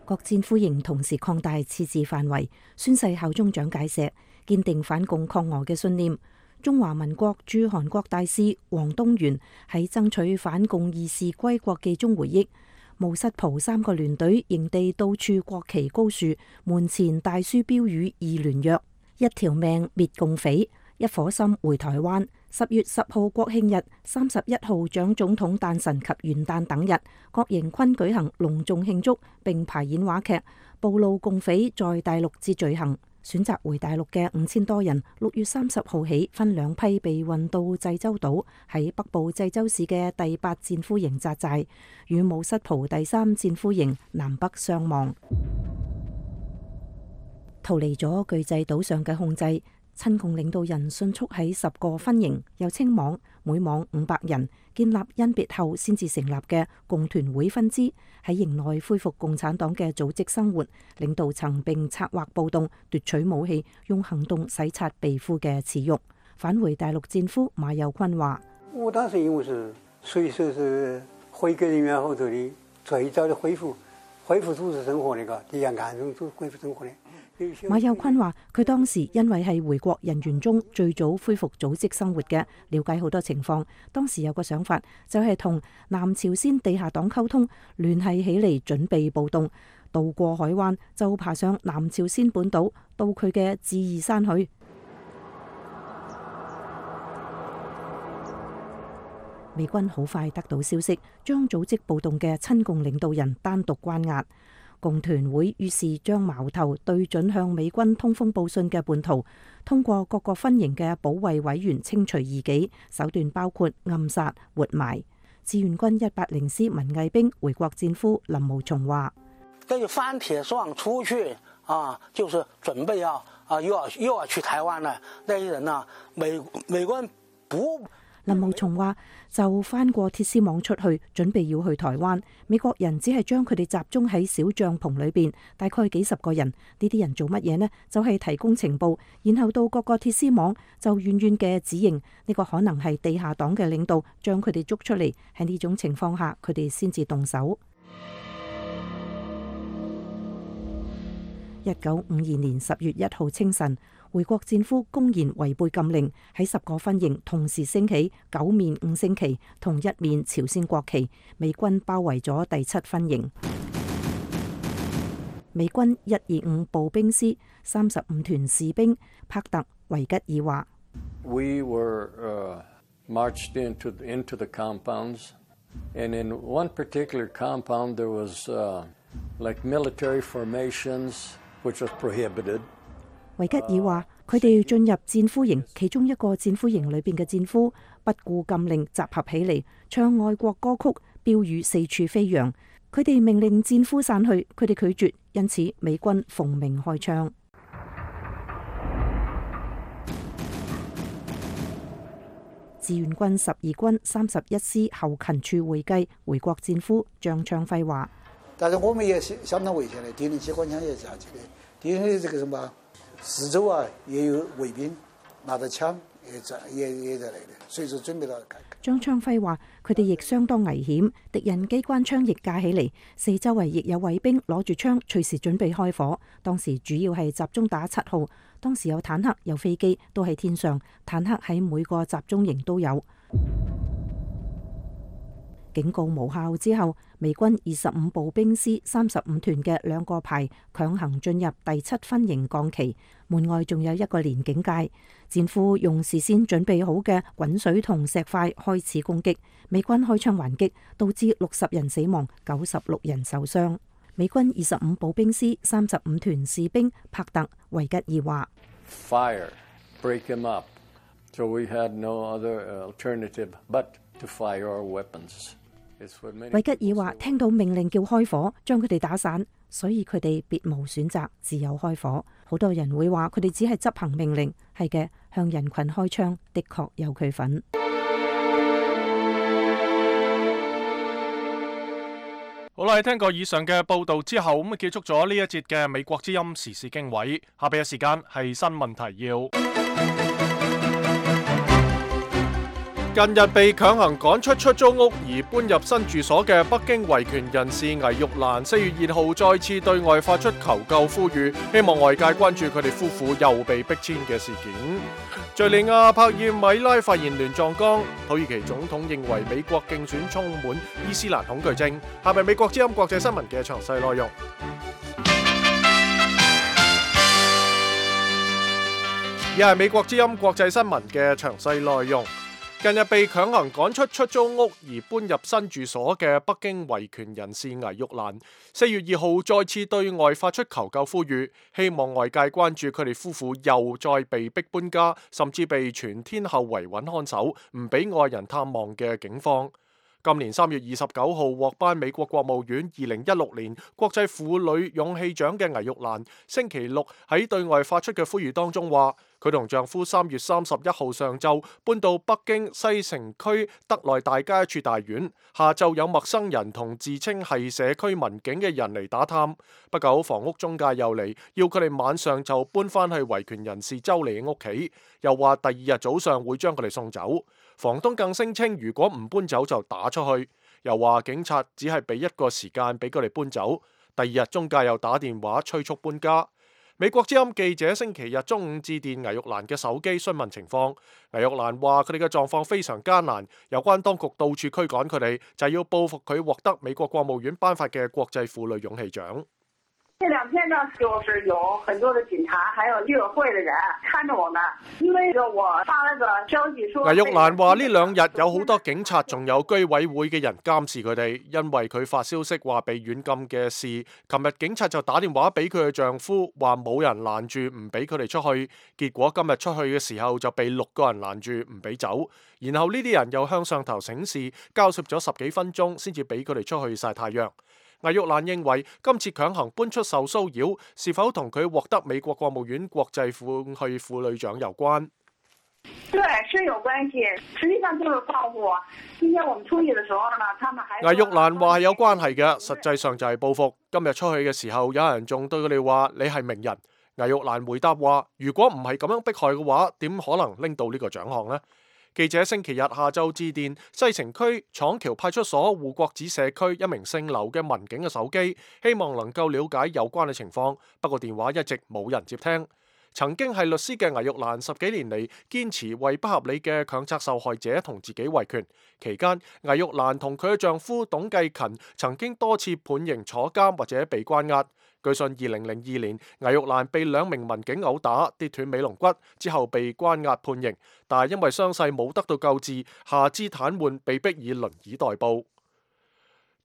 各戰俘營同時擴大設置範圍，宣誓效忠蔣介石，堅定反共抗俄嘅信念。中華民國駐韓國大使黃東元喺爭取反共義士歸國記中回憶，毛瑟蒲3個聯隊營地到處國旗高樹，門前大書標語義聯約，一條命滅共匪，一顆心回台灣。10月10號國慶日、31號蔣總統誕辰及元旦等日，各營區舉行隆重慶祝，並排演話劇，暴露共匪在大陸之罪行。選擇回大陸嘅5000多人，6月30號起分兩批被運到濟州島，喺北部濟州市嘅第8戰俘營紮寨，與毛瑟蒲第3戰俘營南北相望。逃離咗巨濟島上嘅控制，親共領導人迅速喺10個分營，又稱網，每網500人，建立甄別後先至成立嘅共團會分支，喺營內恢復共產黨嘅組織生活，領導層並策劃暴動，奪取武器，用行動洗刷被俘嘅恥辱。返回大陸戰俘馬有坤話：我當時因為是隨時是回歸人員後頭的最早的恢復組織生活，那個第2眼中都恢復生活的。馬有坤話：佢當時因為係回國人員中最早恢復組織生活嘅，了解好多情況。當時有個想法，就係同南朝鮮地下黨溝通，聯繫起嚟準備暴動，渡過海灣就爬上南朝鮮本島，到佢嘅智異山去。美軍好快得到消息，將組織暴動嘅親共領導人單獨關押。共團會於是將矛頭對準向美軍通風報信嘅叛徒，通過各個分營嘅保衛委員清除異己，手段包括暗殺、活埋。志願軍180師文藝兵回國戰俘林茂松話：跟住翻鐵爽出去啊，就是準備又要去台灣啦。那些人啊，美軍不。林茂松話：就翻過鐵絲網出去，準備要去台灣。美國人只係將佢哋集中喺小帳篷裏邊，大概幾10個人。呢啲人做乜嘢呢？就係提供情報，然後到各個鐵絲網就遠遠嘅指認呢個可能係地下黨嘅領導，將佢哋捉出嚟。喺呢種情況下，佢哋先至動手。1952年10月1號清晨，回國戰俘公然違背禁令，喺10個分營同時升起9面5星旗同1面朝鮮國旗，美軍包圍咗第7分營。美軍125步兵師35團士兵帕特維吉爾話：We were marched into the compounds, and in one particular compound there was like military formations, which was prohibited. 維吉爾話：佢哋進入戰俘營，其中一個戰俘營裏邊嘅戰俘不顧禁令集合起嚟，唱愛國歌曲，標語四處飛揚。佢哋命令戰俘散去，佢哋拒絕，因此美軍奉命開槍。志願軍12軍31師後勤處會計回國戰俘張昌輝話：但是我們也相當危險的，敵人機關槍也下去的，敵人的這個什麼四周啊也有衛兵拿着槍也在來的，隨時準備到。張昌輝話：佢哋亦相當危險，敵人機關槍亦架起嚟，四周圍亦有衛兵攞住槍，隨時準備開火。當時主要係集中打7號，當時有坦克、有飛機都喺天上，坦克喺每個集中營都有。警告無效之後，美軍25步兵師35團嘅2個排強行進入第7分營降旗，門外仲有一個連警戒。戰俘用事先準備好嘅滾水同石塊開始攻擊，美軍開槍還擊，導致60人死亡，96人受傷。美軍25步兵師35團士兵帕特維吉爾話： Fire, break him up, So we had no other alternative but to fire our weapons. 韋吉爾話：聽到命令叫開火，將佢哋打散，所以佢哋別無選擇，只有開火。好多人會話佢哋只係執行命令，係嘅，向人群開槍的確有佢份。好啦，聽過以上嘅報導之後，咁結束咗呢一節嘅美國之音時事經緯。下邊嘅時間係新聞提要。近日被強行趕出出租屋而搬入新住所嘅北京維權人士倪玉蘭4月2號再次對外發出求救呼籲，希望外界關注佢哋夫婦又被逼遷嘅事件。敘利亞帕爾米拉發現亂葬崗，土耳其總統認為美國競選充滿伊斯蘭恐懼症。下面美國之音國際新聞嘅詳細內容。而係美國之音國際新聞嘅詳細內容。近日被強行趕出出租屋而搬入新住所嘅北京維權人士倪玉蘭4月2號再次對外發出求救呼籲，希望外界關注佢哋夫婦又再被逼搬家，甚至被全天候維穩看守，唔俾外人探望嘅境況。今年3月29號獲頒美國國務院2016年國際婦女勇氣獎嘅倪玉蘭，星期六喺對外發出嘅呼籲當中話，佢同丈夫3月31號上晝搬到北京西城區德內大街一處大院，下晝有陌生人同自稱係社區民警嘅人嚟打探，不久房屋中介又嚟要佢哋晚上就搬返去維權人士周莉嘅屋企，又話第2日早上會將佢哋送走。房東更聲稱如果唔搬走就打出去，又話警察只係俾1個時間俾佢哋搬走。第2日中介又打電話催促搬家。美國之音記者星期日中午致電倪玉蘭嘅手機詢問情況，倪玉蘭話佢哋嘅狀況非常艱難，有關當局到處驅趕佢哋，就係要報復佢獲得美國國務院頒發嘅國際婦女勇氣獎。這2天呢，就是有很多的警察，還有綠委會的人看着我們，因為我發了個消息說。倪玉蘭話呢2日有好多警察，仲有居委會嘅人監視佢哋，因為佢發消息話被軟禁嘅事。琴日警察就打電話俾佢嘅丈夫，話冇人攔住唔俾佢哋出去，結果今日出去嘅時候就被6個人攔住唔俾走，然後呢啲人又向上頭請示，交涉咗10幾分鐘先至俾佢哋出去曬太陽。倪玉蘭認為今次強行搬出受騷擾，是否同佢獲得美國國務院國際婦女獎有關？對，是有關係。實際上就是報復。今天我們出去的時候呢，他們還。倪玉蘭話係有關係嘅，實際上就係報復。今日出去嘅時候，有人仲對佢哋話你係名人。倪玉蘭回答話：如果唔係咁樣迫害嘅話，點可能拎到呢個獎項呢？記者星期日下晝致電西城區廠橋派出所護國寺社區一名姓劉嘅民警嘅手機，希望能夠了解有關嘅情況，不過電話一直冇人接聽。曾經係律師嘅倪玉蘭10幾年嚟堅持為不合理嘅強拆受害者同自己維權，期間倪玉蘭同佢嘅丈夫董繼勤曾經多次判刑坐監或者被關押。據信2002年倪玉蘭被2名民警毆打跌斷尾龍骨之後被關押判刑，但係因為傷勢冇得到救治，下肢癱瘓，被迫以輪椅代步。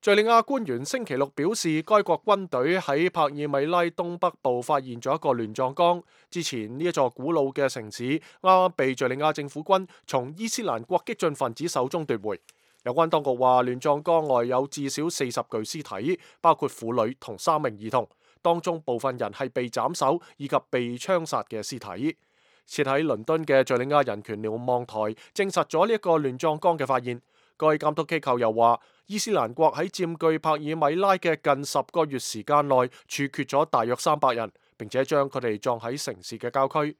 敘利亞官員星期六表示，該國軍隊喺帕爾米拉東北部發現咗一個亂葬崗。之前呢一座古老嘅城市啱啱被敘利亞政府軍從伊斯蘭國激進分子手中奪回。有關當局話，亂葬崗外有至少40具屍體，包括婦女同3名兒童，當中部分人係被斬首以及被槍殺嘅屍體。設喺倫敦嘅敘利亞人權瞭望台證實咗呢一個亂葬崗嘅發現。該監督機構又話，伊斯蘭國喺佔據帕爾米拉嘅近10個月時間內處決咗大約300人，並且將佢哋葬喺城市嘅郊區。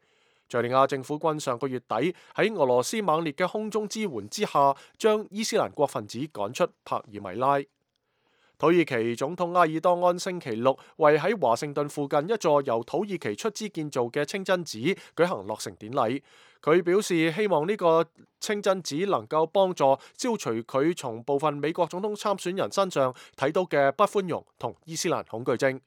敘利亞政府軍上個月底喺俄羅斯猛烈嘅空中支援之下，將伊斯蘭國分子趕出帕爾米拉。土耳其總統埃爾多安星期六為喺華盛頓附近一座由土耳其出資建造嘅清真寺舉行落成典禮。佢表示希望呢個清真寺能夠幫助消除佢從部分美國總統參選人身上睇到嘅不寬容同伊斯蘭恐懼症。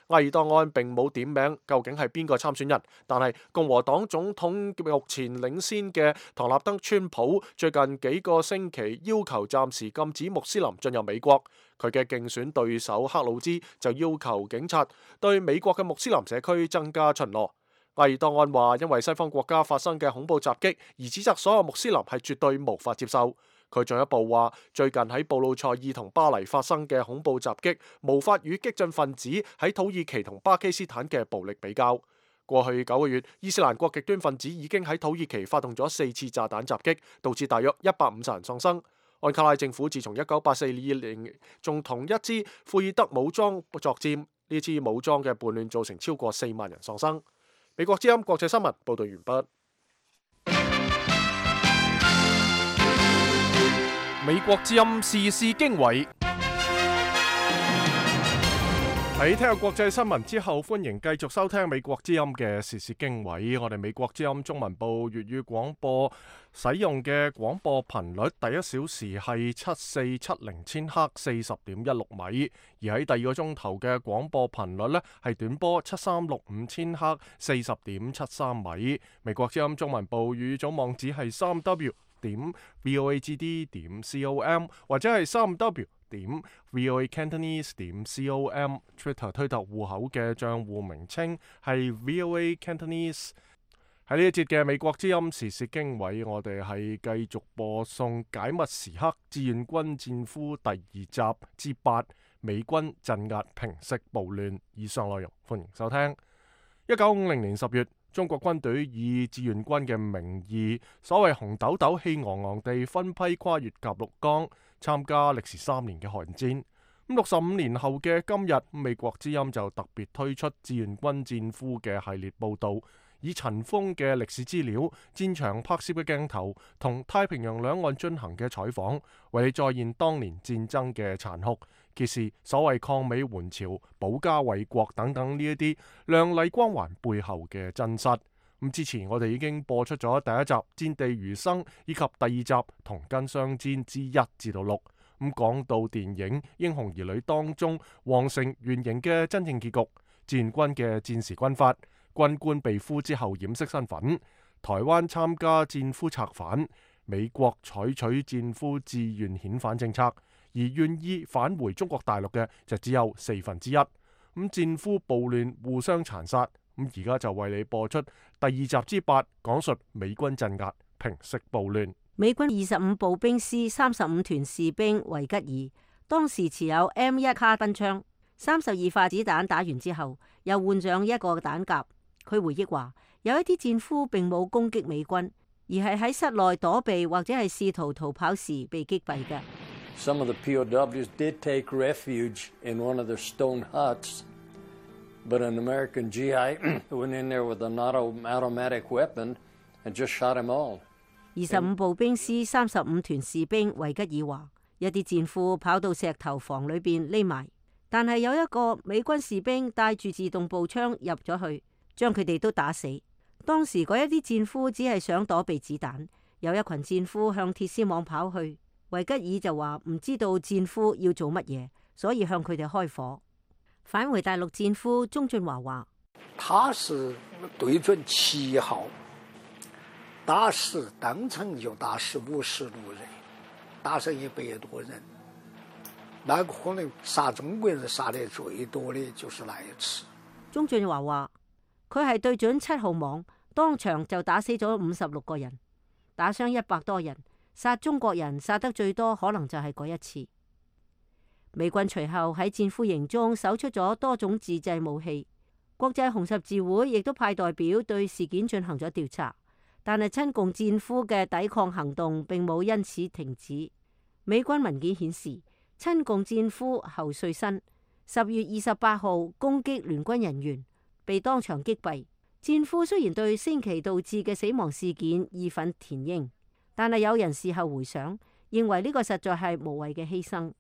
埃爾多安並冇點名究竟係邊個參選人，但係共和黨總統目前領先嘅唐納德川普最近幾個星期要求暫時禁止穆斯林進入美國。佢嘅競選對手克魯茲就要求警察對美國嘅穆斯林社區增加巡邏。埃爾多安話，因為西方國家發生嘅恐怖襲擊，而指責所有穆斯林係絕對無法接受。佢進一步話，最近喺布魯塞爾同巴黎發生嘅恐怖襲擊，無法與激進分子喺土耳其同巴基斯坦嘅暴力比較。過去9個月，伊斯蘭國極端分子已經喺土耳其發動咗4次炸彈襲擊，導致大約150人喪生。安卡拉政府自從1984年仲同一支庫爾德武裝作戰，呢支武裝嘅叛亂造成超過4萬人喪生。美國之音國際新聞報道完畢。美國之音時事經緯。喺聽日國際新聞之後，歡迎繼續收聽美國之音嘅時事經緯。我哋美國之音中文部粵語廣播使用嘅廣播頻率，第一小時係7470千赫40.16米，而喺第二個鐘頭嘅廣播頻率呢係短波7365千赫40.73米。美國之音中文部語總網址係3w.voagd.com 或者係3w.voacantonese.com。 Twitter 推特戶口嘅賬戶名稱係 VOA Cantonese。 喺呢一節嘅美國之音時事經緯，我哋係繼續播送解密時刻志願軍戰俘第2集之8，美軍鎮壓平息暴亂。以上內容歡迎收聽。1950年10月，中國軍隊以志願軍嘅名義，所謂紅豆豆氣昂昂地分批跨越鴨綠江，參加歷時3年嘅寒戰。65年後嘅今日，美國之音就特別推出志願軍戰俘嘅系列報導，以塵封嘅歷史資料、戰場拍攝嘅鏡頭同太平洋兩岸進行嘅採訪，為你再現當年戰爭嘅殘酷，揭示所謂抗美援朝、保家衛國等等呢一啲亮麗光環背後嘅真實。之前我哋已經播出咗第1集戰地餘生，以及第2集同根相戰之1至到6。講到電影《英雄兒女》當中皇城原型嘅真正結局，志願軍嘅戰時軍法，軍官被俘之後掩飾身份，台灣參加戰俘策反，美國採取戰俘自願遣返政策，而願意返回中國大陸嘅就只有1/4。戰俘暴亂互相殘殺，而家就為你播出第2集之8，講述美軍鎮壓平息暴亂。美軍25步兵師35團士兵維吉爾當時持有 M1 卡賓槍，32發子彈打完之後，又換上1個彈夾。佢回憶話，有一啲戰俘並冇攻擊美軍，而係喺室內躲避或者係試圖逃跑時被擊斃嘅。Some of the POWs did take refuge in one of their stone huts, but an American GI went in there with an automatic weapon and just shot them all. 25步兵師35團士兵維吉爾話，一啲戰俘跑到石頭房裏邊匿埋，但係有一個美軍士兵帶住自動步槍入咗去，將佢哋都打死。當時嗰一啲戰俘只係想躲避子彈，有一群戰俘向鐵絲網跑去，維吉爾就話唔知道戰俘要做乜嘢，所以向佢哋開火。返回大陸戰俘鍾俊華話，他是對準7號打死，當場就打死50路人，打死100多人。那個可能殺中國人殺得最多的就是那一次。鍾俊華話，佢係對準7號網，當場就打死咗56個人，打傷100多人，殺中國人殺得最多可能就係嗰一次。美軍隨後喺戰俘營中搜出咗多種自製武器，國際紅十字會亦都派代表對事件進行咗調查。但係親共戰俘嘅抵抗行動並冇因此停止。美軍文件顯示，親共戰俘侯瑞新10月28號攻擊聯軍人員，被當場擊斃。戰俘雖然對星期導致嘅死亡事件義憤填膺，但係有人事後回想，認為呢個實在係無謂嘅犧牲。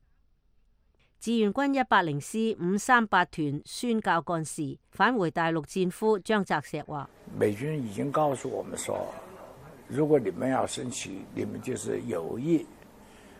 志願軍104師538團宣教幹事返回大陸戰俘張澤石話，美軍已經告訴我們說，如果你們要生氣，你們就是有意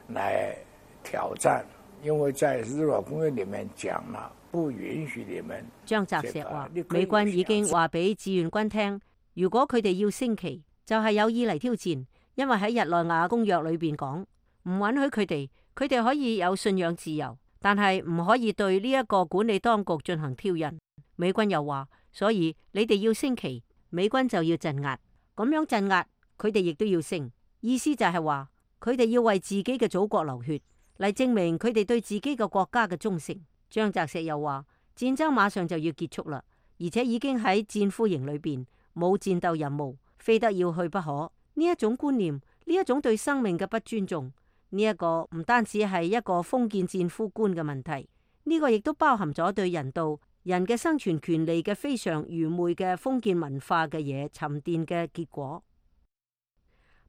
來挑戰，因為在日俄公約裏面講了，不允許你們。張澤石話，美軍已經話俾志願軍聽，如果佢哋要升旗，就係有意嚟挑戰，因為喺日內瓦公約裏邊講，唔允許佢哋可以有信仰自由，但係唔可以對呢一個管理當局進行挑釁。美軍又話，所以你哋要升旗，美軍就要鎮壓，咁樣鎮壓佢哋亦都要勝，意思就係話佢哋要為自己嘅祖國流血，嚟證明佢哋對自己嘅國家嘅忠誠。張澤石又話，戰爭馬上就要結束啦，而且已經喺戰俘營裏邊，冇戰鬥任務，非得要去不可。呢一種觀念，呢一種對生命嘅不尊重，呢一個唔單止係一個封建戰俘觀嘅問題，呢個亦都包含咗對人道、人嘅生存權利嘅非常愚昧嘅封建文化嘅嘢沉澱嘅結果。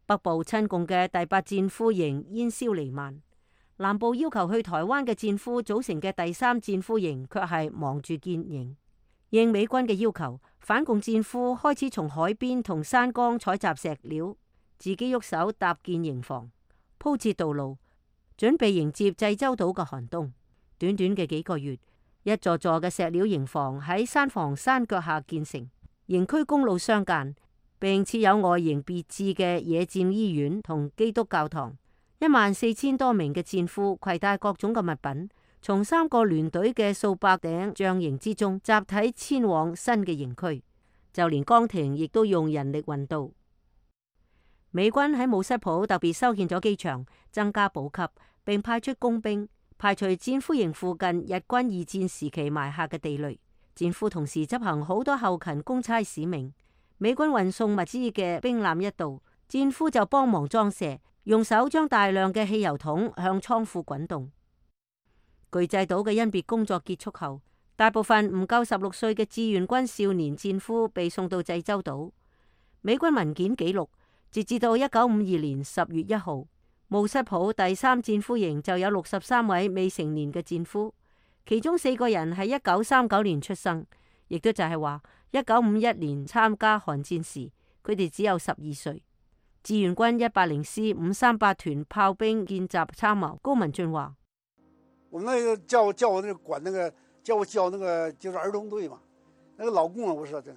北部親共嘅第8戰俘營煙消彌漫，南部要求去台灣嘅戰俘組成嘅第3戰俘營卻係忙住建營。應美軍嘅要求，反共戰俘開始從海邊同山崗採集石料，自己喐手搭建營房，鋪設道路，準備迎接濟州島嘅寒冬。短短嘅幾個月，一座座嘅石料營房喺山房山腳下建成，營區公路相間，並設有外形別致嘅野戰醫院同基督教堂。14000多名嘅戰俘攜帶各種嘅物品，從3個聯隊嘅數百頂帳營之中集體遷往新嘅營區，就連崗亭亦都用人力運到。美軍喺姆瑟普特別修建咗機場，增加補給，並派出工兵排除戰俘營附近日軍2戰時期埋下嘅地雷。戰俘同時執行好多後勤公差使命。美軍運送物資嘅兵艦一到，戰俘就幫忙裝卸，用手將大量嘅汽油桶向倉庫滾動。巨濟島嘅甄別工作結束後，大部分唔夠16歲嘅志願軍少年戰俘被送到濟州島。美軍文件記錄，截至到1952年10月1號，姆瑟普第3戰俘營就有63位未成年嘅戰俘，其中4個人係1939年出生，亦都就係話1951年參加韓戰時，佢哋只有12歲。志願軍104師538團炮兵見習參謀高文俊話：我們那個叫我那個管那個叫我教那個就是兒童隊嘛，那個老共啊，我說的，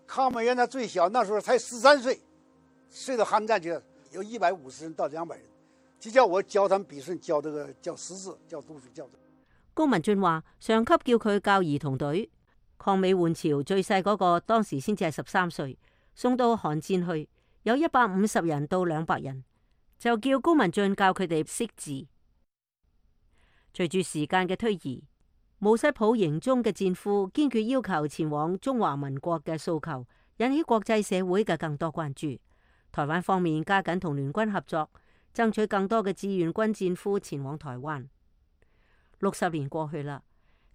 抗美援他最小，那時候才13歲，睡到韓戰去，有150人到200人，就叫我教他們筆順，教這個教識字，教讀書，教。高文俊話上級叫佢教兒童隊，抗美援朝最細嗰個當時先至係13歲，送到韓戰去，有150人到200人，就叫高文俊教佢哋識字。隨住時間嘅推移，姆瑟普營中嘅戰俘堅決要求前往中華民國嘅訴求，引起國際社會嘅更多關注。台灣方面加緊同聯軍合作，爭取更多嘅志願軍戰俘前往台灣。60年過去啦，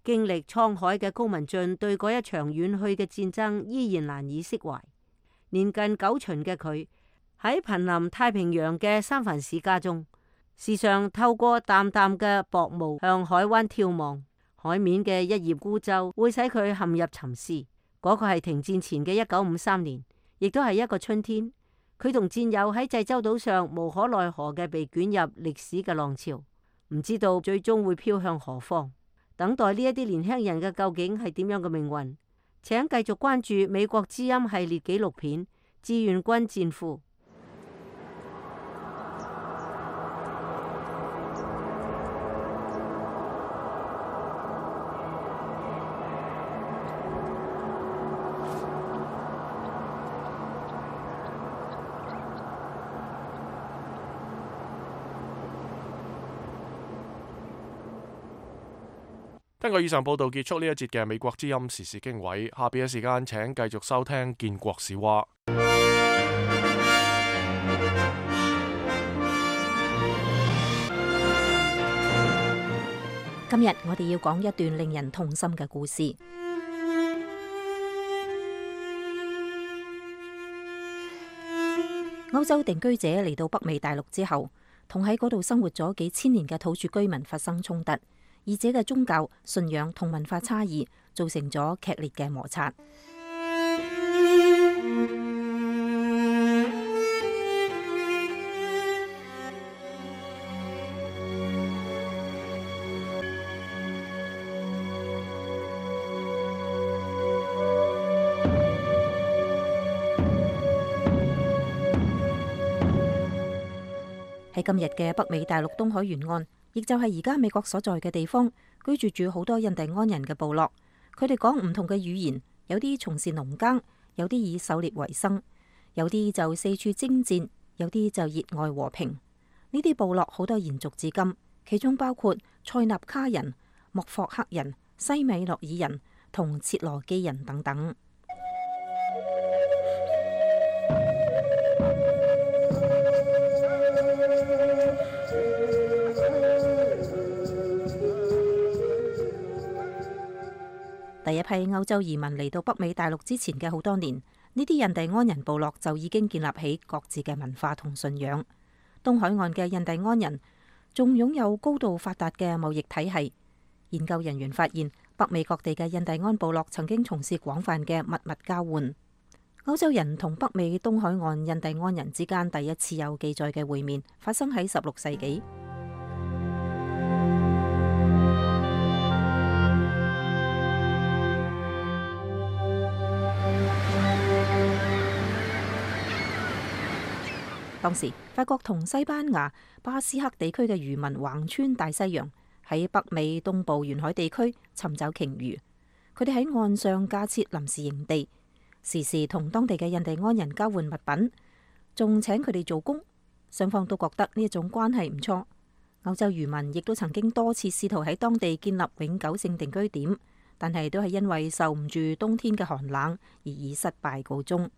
經歷滄海嘅高文俊對嗰一場遠去嘅戰爭依然難以釋懷。年近90旬嘅佢喺瀕臨太平洋嘅三藩市家中，時常透過淡淡嘅薄霧向海灣眺望，海面嘅一葉孤舟會使佢陷入沉思。嗰個係停戰前嘅1953年，亦都係一個春天。佢同戰友喺濟州島上無可奈何嘅被捲入歷史嘅浪潮，唔知道最終會飄向何方。等待呢一啲年輕人嘅究竟係點樣嘅命運？請繼續關注美國之音系列紀錄片《志願軍戰俘》。根據以上報導結束呢一節嘅美國之音時事經緯，下邊嘅時間請繼續收聽建國史話。今日我哋要講一段令人痛心嘅故事。歐洲定居者嚟到北美大陸之後，同喺嗰度生活咗幾千年嘅土著居民發生衝突。二者嘅宗教、信仰同文化差異，造成咗劇烈嘅摩擦。喺今日嘅北美大陸東海沿岸，亦就係而家美國所在嘅地方，居住住好多印第安人嘅部落。佢哋講唔同嘅語言，有啲從事農耕，有啲以狩獵為生，有啲就四處征戰，有啲就熱愛和平。呢啲部落好多延續至今，其中包括塞納卡人、莫霍克人、西米諾爾人同切羅基人等等。第一批歐洲移民嚟到北美大陸之前嘅好多年，呢啲印第安人部落就已經建立起各自嘅文化同信仰。東海岸嘅印第安人仲擁有高度發達嘅貿易體系。研究人員發現，北美各地嘅印第安部落曾經從事廣泛嘅物交換。歐洲人同北美東海岸印第安人之間第一次有記載嘅會面，發生喺16世紀。當時法國同西班牙、巴斯克地區嘅漁民橫穿大西洋，喺北美東部沿海地區尋找鯨魚。佢哋喺岸上架設臨時營地，時時同當地嘅印第安人交換物品，仲請佢哋做工。雙方都覺得呢一種關係唔錯。歐洲漁民亦都曾經多次試圖喺當地建立永久性定居點，但係都係因為受唔住冬天嘅寒冷而以失敗告終。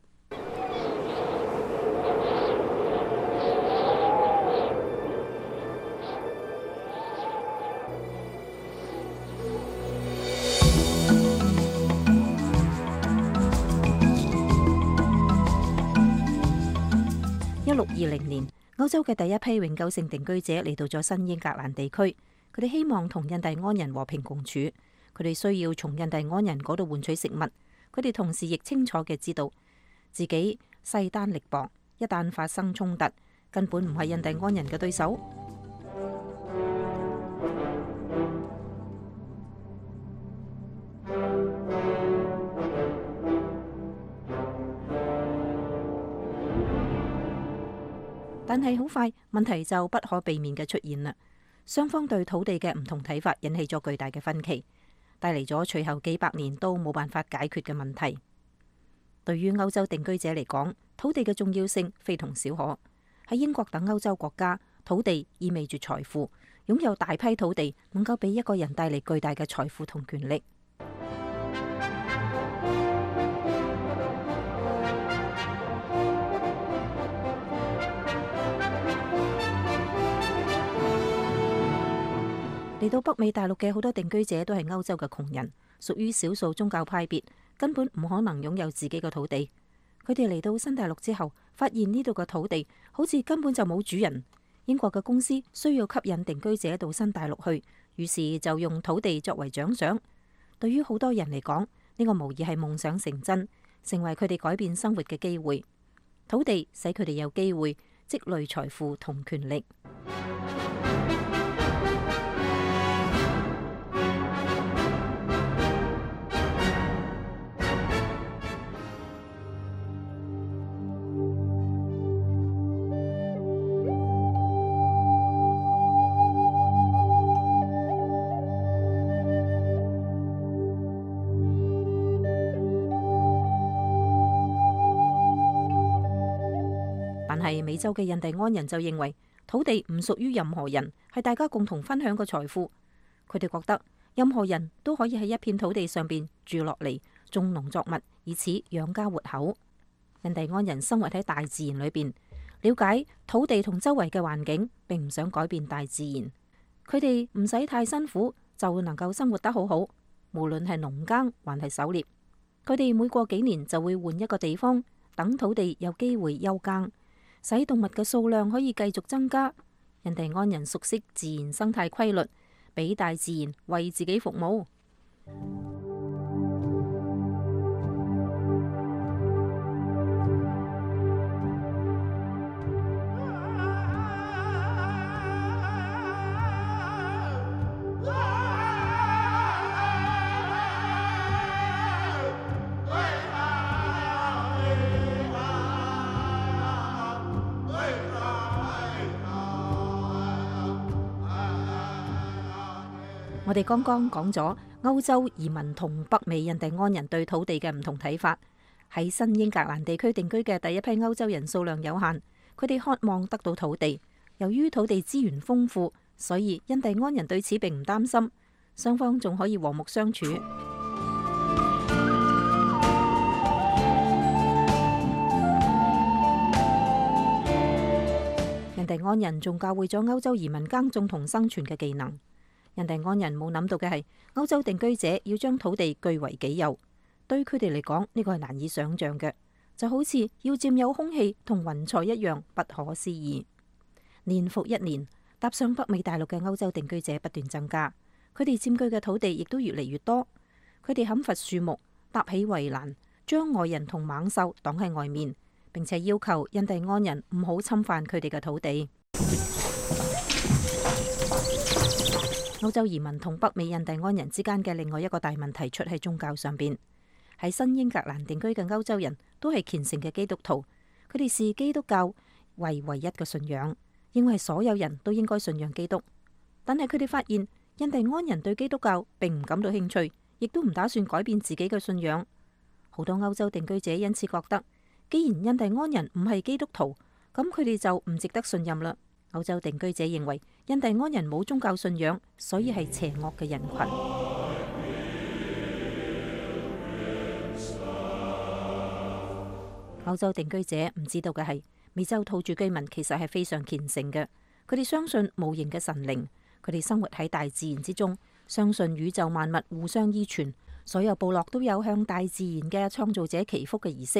1620年，歐洲嘅第一批永久性定居者嚟到咗新英格蘭地區，佢哋希望同印第安人和平共處，佢哋需要從印第安人嗰度換取食物，佢哋同時亦清楚嘅知道自己勢單力薄，一旦發生衝突，根本唔係印第安人嘅對手。但係好快，問題就不可避免嘅出現啦。雙方對土地嘅唔同睇法引起咗巨大嘅分歧，帶嚟咗隨後幾百年都冇辦法解決嘅問題。對於歐洲定居者嚟講，土地嘅重要性非同小可。喺英國等歐洲國家，土地意味住財富，擁有大批土地能夠俾一個人帶嚟巨大嘅財富同權力。嚟到北美大陸嘅好多定居者都係歐洲嘅窮人，屬於少數宗教派別，根本唔可能擁有自己嘅土地。佢哋嚟到新大陸之後，發現呢度嘅土地好似根本就冇主人。英國嘅公司需要吸引定居者到新大陸去，於是就用土地作為獎賞。對於好多人嚟講，呢個無疑係夢想成真，成為佢哋改變生活嘅機會。土地使佢哋有機會積累財富同權力。但係美洲嘅印第安人就認為土地唔屬於任何人，係大家共同分享嘅財富。佢哋覺得任何人都可以喺一片土地上邊住落嚟，種農作物，以此養家活口。印第安人生活喺大自然裏邊，了解土地同周圍嘅環境，並唔想改變大自然。佢哋唔使太辛苦，就能夠生活得好好。無論係農耕還係狩獵，佢哋每過幾年就會換一個地方，等土地有機會休耕，使動物嘅數量可以繼續增加。印第安人熟悉自然生態規律，俾大自然為自己服務。我哋剛剛講咗歐洲移民同北美印第安人對土地嘅唔同睇法。喺新英格蘭地區定居嘅第一批歐洲人數量有限，佢哋渴望得到土地。由於土地資源豐富，所以印第安人對此並唔擔心，雙方仲可以和睦相處。印第安人仲教會咗歐洲移民耕種同生存嘅技能。印第安人冇諗到嘅係，歐洲定居者要將土地據為己有，對佢哋嚟講呢個係難以想象嘅，就好似要佔有空氣同雲彩一樣不可思議。年復一年，踏上北美大陸嘅歐洲定居者不斷增加，佢哋佔據嘅土地亦都越嚟越多。佢哋砍伐樹木，搭起圍欄，將外人同猛獸擋喺外面，並且要求印第安人唔好侵犯佢哋嘅土地。歐洲移民同北美印第安人之間嘅另外一個大問題出喺宗教上邊。喺新英格蘭定居嘅歐洲人都係虔誠嘅基督徒，佢哋視基督教為唯一嘅信仰，認為所有人都應該信仰基督。但係佢哋發現印第安人對基督教並唔感到興趣，亦都唔打算改變自己嘅信仰。好多歐洲定居者因此覺得，既然印第安人唔係基督徒，咁佢哋就唔值得信任啦。歐洲定居者認為印第安人冇宗教信仰，所以係邪惡嘅人群。歐洲定居者唔知道嘅係，美洲土著居民其實係非常虔誠嘅，佢哋相信無形嘅神靈，佢哋生活喺大自然之中，相信宇宙萬物互相依存，所有部落都有向大自然嘅創造者祈福嘅儀式。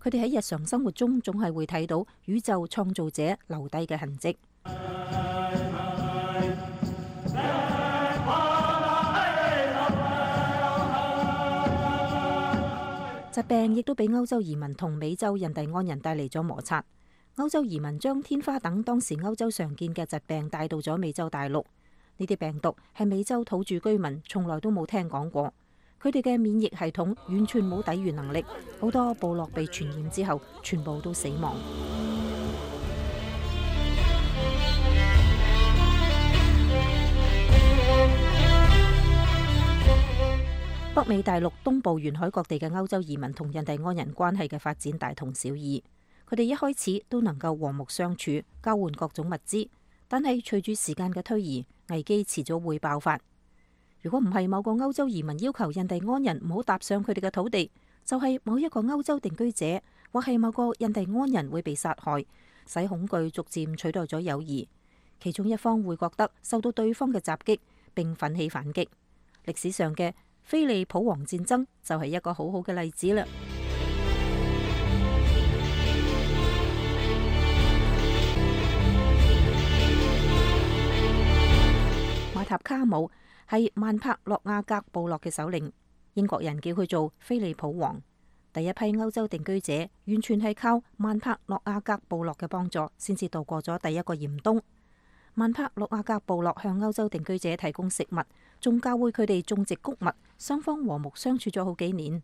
佢哋喺日常生活中總係會睇到宇宙創造者留低嘅痕跡。疾病亦都俾歐洲移民同美洲印第安人帶嚟咗摩擦。歐洲移民將天花等當時歐洲常見嘅疾病帶到咗美洲大陸。呢啲病毒係美洲土著居民從來都冇聽講過，佢哋嘅免疫系統完全冇抵禦能力，好多部落被傳染之後全部都死亡。北美大陸東部沿海各地嘅歐洲移民同印第安人關係嘅發展大同小異，佢哋一開始都能夠和睦相處，交換各種物資，但係隨住時間嘅推移，危機遲早會爆發。如果唔係某個歐洲移民要求印第安人唔好踏上佢哋嘅土地，就係某一個歐洲定居者或係某個印第安人會被殺害，使恐懼逐漸取代咗友誼。其中一方會覺得受到對方嘅襲擊，並奮起反擊。歷史上嘅菲利普王戰爭就係一個好好嘅例子啦。馬塔卡姆係曼帕洛亞格部落嘅首領，英國人叫佢做菲利普王。第一批歐洲定居者完全係靠曼帕洛亞格部落嘅幫助，先至度過咗第一個嚴冬。曼帕洛亞格部落向歐洲定居者提供食物，仲教會佢哋種植穀物，雙方和睦相處咗好幾年。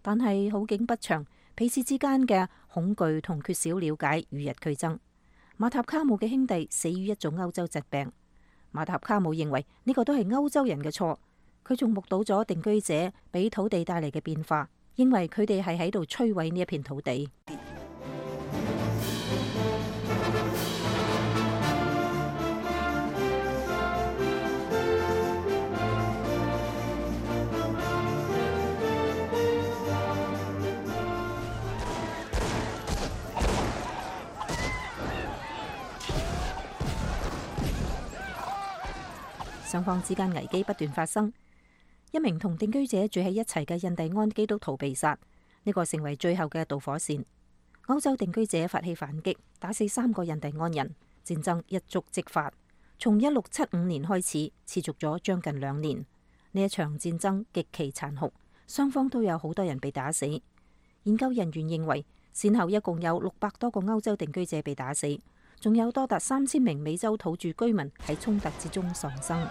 但係好景不長，彼此之間嘅恐懼同缺少了解與日俱增。馬塔卡姆嘅兄弟死於一種歐洲疾病，馬塔卡姆認為呢個都係歐洲人嘅錯。佢仲目睹咗定居者俾土地帶嚟嘅變化，認為佢哋係喺度摧毀呢一片土地。雙方之間危機不斷發生，一名同定居者住喺一齊嘅印第安基督徒被殺，呢個成為最後嘅導火線。歐洲定居者發起反擊，打死3個印第安人，戰爭一觸即發，從1675年開始，持續咗將近2年。呢一場戰爭極其殘酷，雙方都有好多人被打死。研究人員認為，先後一共有600多個歐洲定居者被打死，仲有多達3000名美洲土著居民喺衝突之中喪生。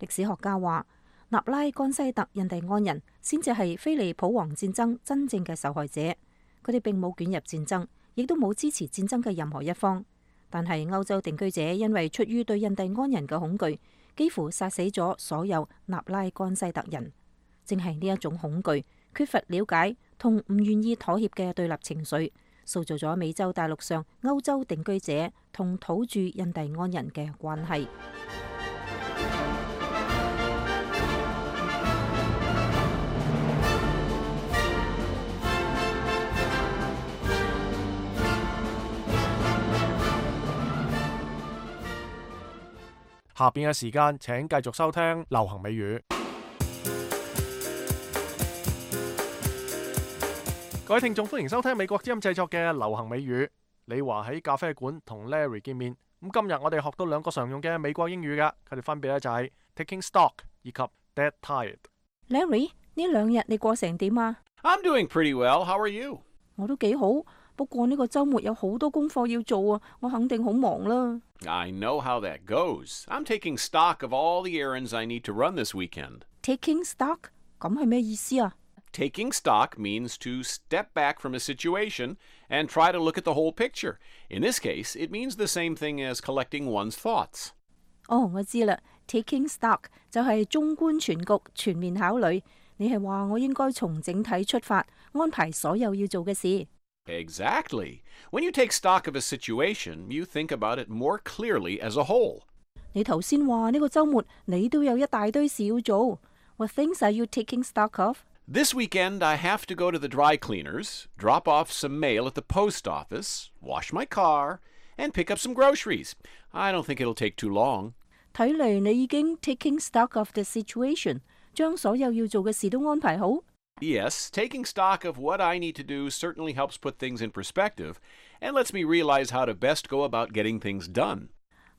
歷史學家話，納拉干西特印第安人先至係菲利普王戰爭真正嘅受害者。佢哋並冇捲入戰爭，亦都冇支持戰爭嘅任何一方。但係歐洲定居者因為出於對印第安人嘅恐懼，幾乎殺死咗所有納拉干西特人。正係呢一種恐懼、缺乏了解同唔願意妥協嘅對立情緒，塑造咗美洲大陸上歐洲定居者同土著印第安人嘅關係。下邊嘅時間，請繼續收聽流行美語。各位聽眾，歡迎收聽美國之音製作嘅流行美語。李華喺咖啡館同 Larry 見面。咁今日我哋學到兩個常用嘅美國英語㗎，佢哋分別咧就係 taking stock 以及 dead tired。Larry， 呢兩日你過成點啊？ I'm doing pretty well. How are you？ 我都幾好，不過呢個週末有好多功課要做啊，我肯定好忙啦。I know how that goes. I'm taking stock of all the errands I need to run this weekend. Taking stock？ 咁係咩意思啊？ Taking stock means to step back from a situation and try to look at the whole picture. In this case, it means the same thing as collecting one's thoughts. 哦，我知啦。Taking stock 就係綜觀全局，全面考慮。你係話我應該從整體出發，安排所有要做嘅事。Exactly. When you take stock of a situation, you think about it more clearly as a whole. 你頭先話呢個週末你都有一大堆事要做。What things are you taking stock of? This weekend, I have to go to the dry cleaners, drop off some mail at the post office, wash my car, and pick up some groceries. I don't think it'll take too long. 睇嚟你已經 taking stock of the situation， 將所有要做嘅事都安排好。Yes, taking stock of what I need to do certainly helps put things in perspective and lets me realize how to best go about getting things done.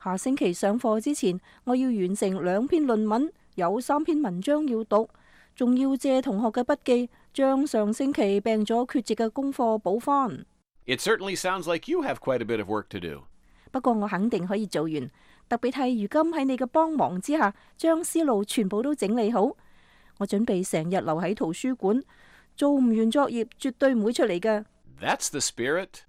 下星期上課之前，我要完成2篇論文，有3篇文章要讀。仲要借同學嘅筆記，將上星期病咗缺席嘅功課補返。It certainly sounds like you have quite a bit of work to do. 不過我肯定可以做完，特別係如今喺你嘅幫忙之下，將思路全部都整理好。我準備成日留喺圖書館，做唔完作業絕對唔會出嚟㗎。That's the spirit.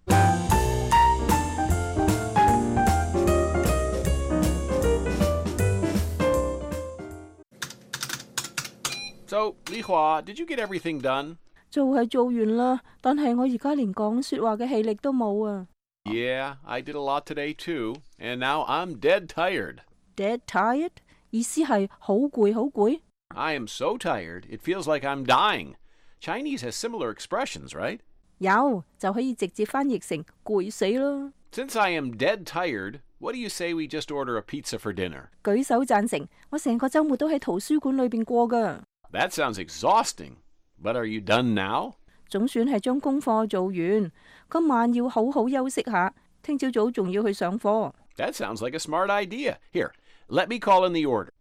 So, Li Hua, did you get everything done? 做係做完啦，但係我而家連講說話嘅氣力都冇啊。Yeah, I did a lot today too, and now I'm dead tired. Dead tired? 意思係好攰好攰。I am so tired, it feels like I'm dying. Chinese has similar expressions, right? 有，就可以直接翻譯成攰死啦。Since I am dead tired, what do you say we just order a pizza for dinner? 舉手贊成，我成個週末都喺圖書館裏邊過㗎。That sounds exhausting, but are you done now? 總算係將功課做完，今晚要好好休息下，聽朝早仲要去上課。That sounds like a smart idea. Here, let me call in the order.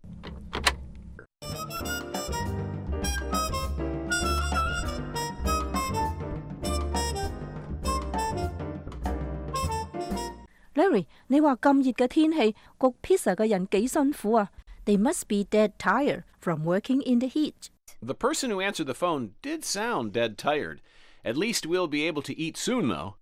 Larry， 你話咁熱嘅天氣，焗 pizza 嘅人幾辛苦啊？They must be dead tired from working in the heat. The person who answered the phone did sound dead tired. At least we'll be able to eat soon, though.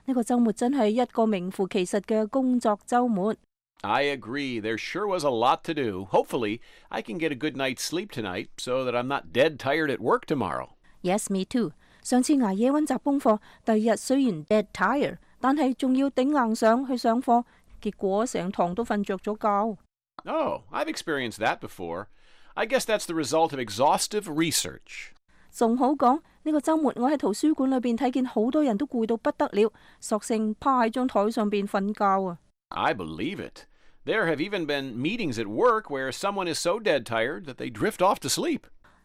呢個週末真係一個名副其實嘅工作週末。I agree. There sure was a lot to do. Hopefully, I can get a good night's sleep tonight so that I'm not dead tired at work tomorrow. Yes, me too. 上次捱夜溫習功課，第二日雖然 dead tired， 但係仲要頂硬上去上課，結果成堂都瞓着咗覺。Oh, I've experienced that before. I guess that's the result of exhaustive research. 仲好講，呢個週末我喺圖書館裏邊睇見好多人都攰到不得了，索性趴喺張台上邊瞓覺啊。I believe it. There have even been meetings at work where someone is so dead tired that they drift off to sleep.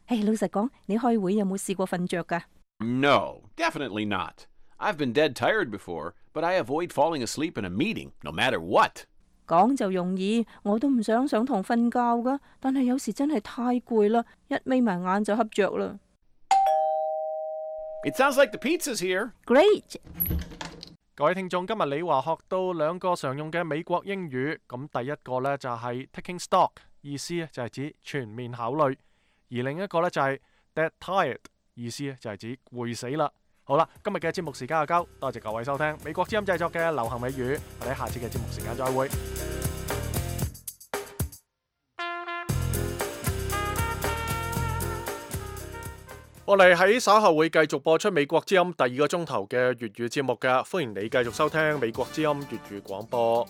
老實講，你開會有冇試過瞓着㗎？ No, definitely not. I've been dead tired before, but I avoid falling asleep in a meeting, no matter what. 講就容易，我都唔想上堂瞓覺㗎，但係有時真係太攰啦，一眯埋眼就瞌着啦。It sounds like the pizza's here. Great！ 各位聽眾，今日李華學到兩個常用嘅美國英語，咁第一個呢就係 taking stock， 意思就係指全面考慮，而另一個呢就係 dead tired， 意思就係指攰死啦。好啦，今日嘅節目時間就夠，多謝各位收聽美國之音製作嘅流行美語，我哋下次嘅節目時間再會。我哋喺稍後會繼續播出美國之音第2個鐘頭嘅粵語節目嘅，歡迎你繼續收聽美國之音粵語廣播。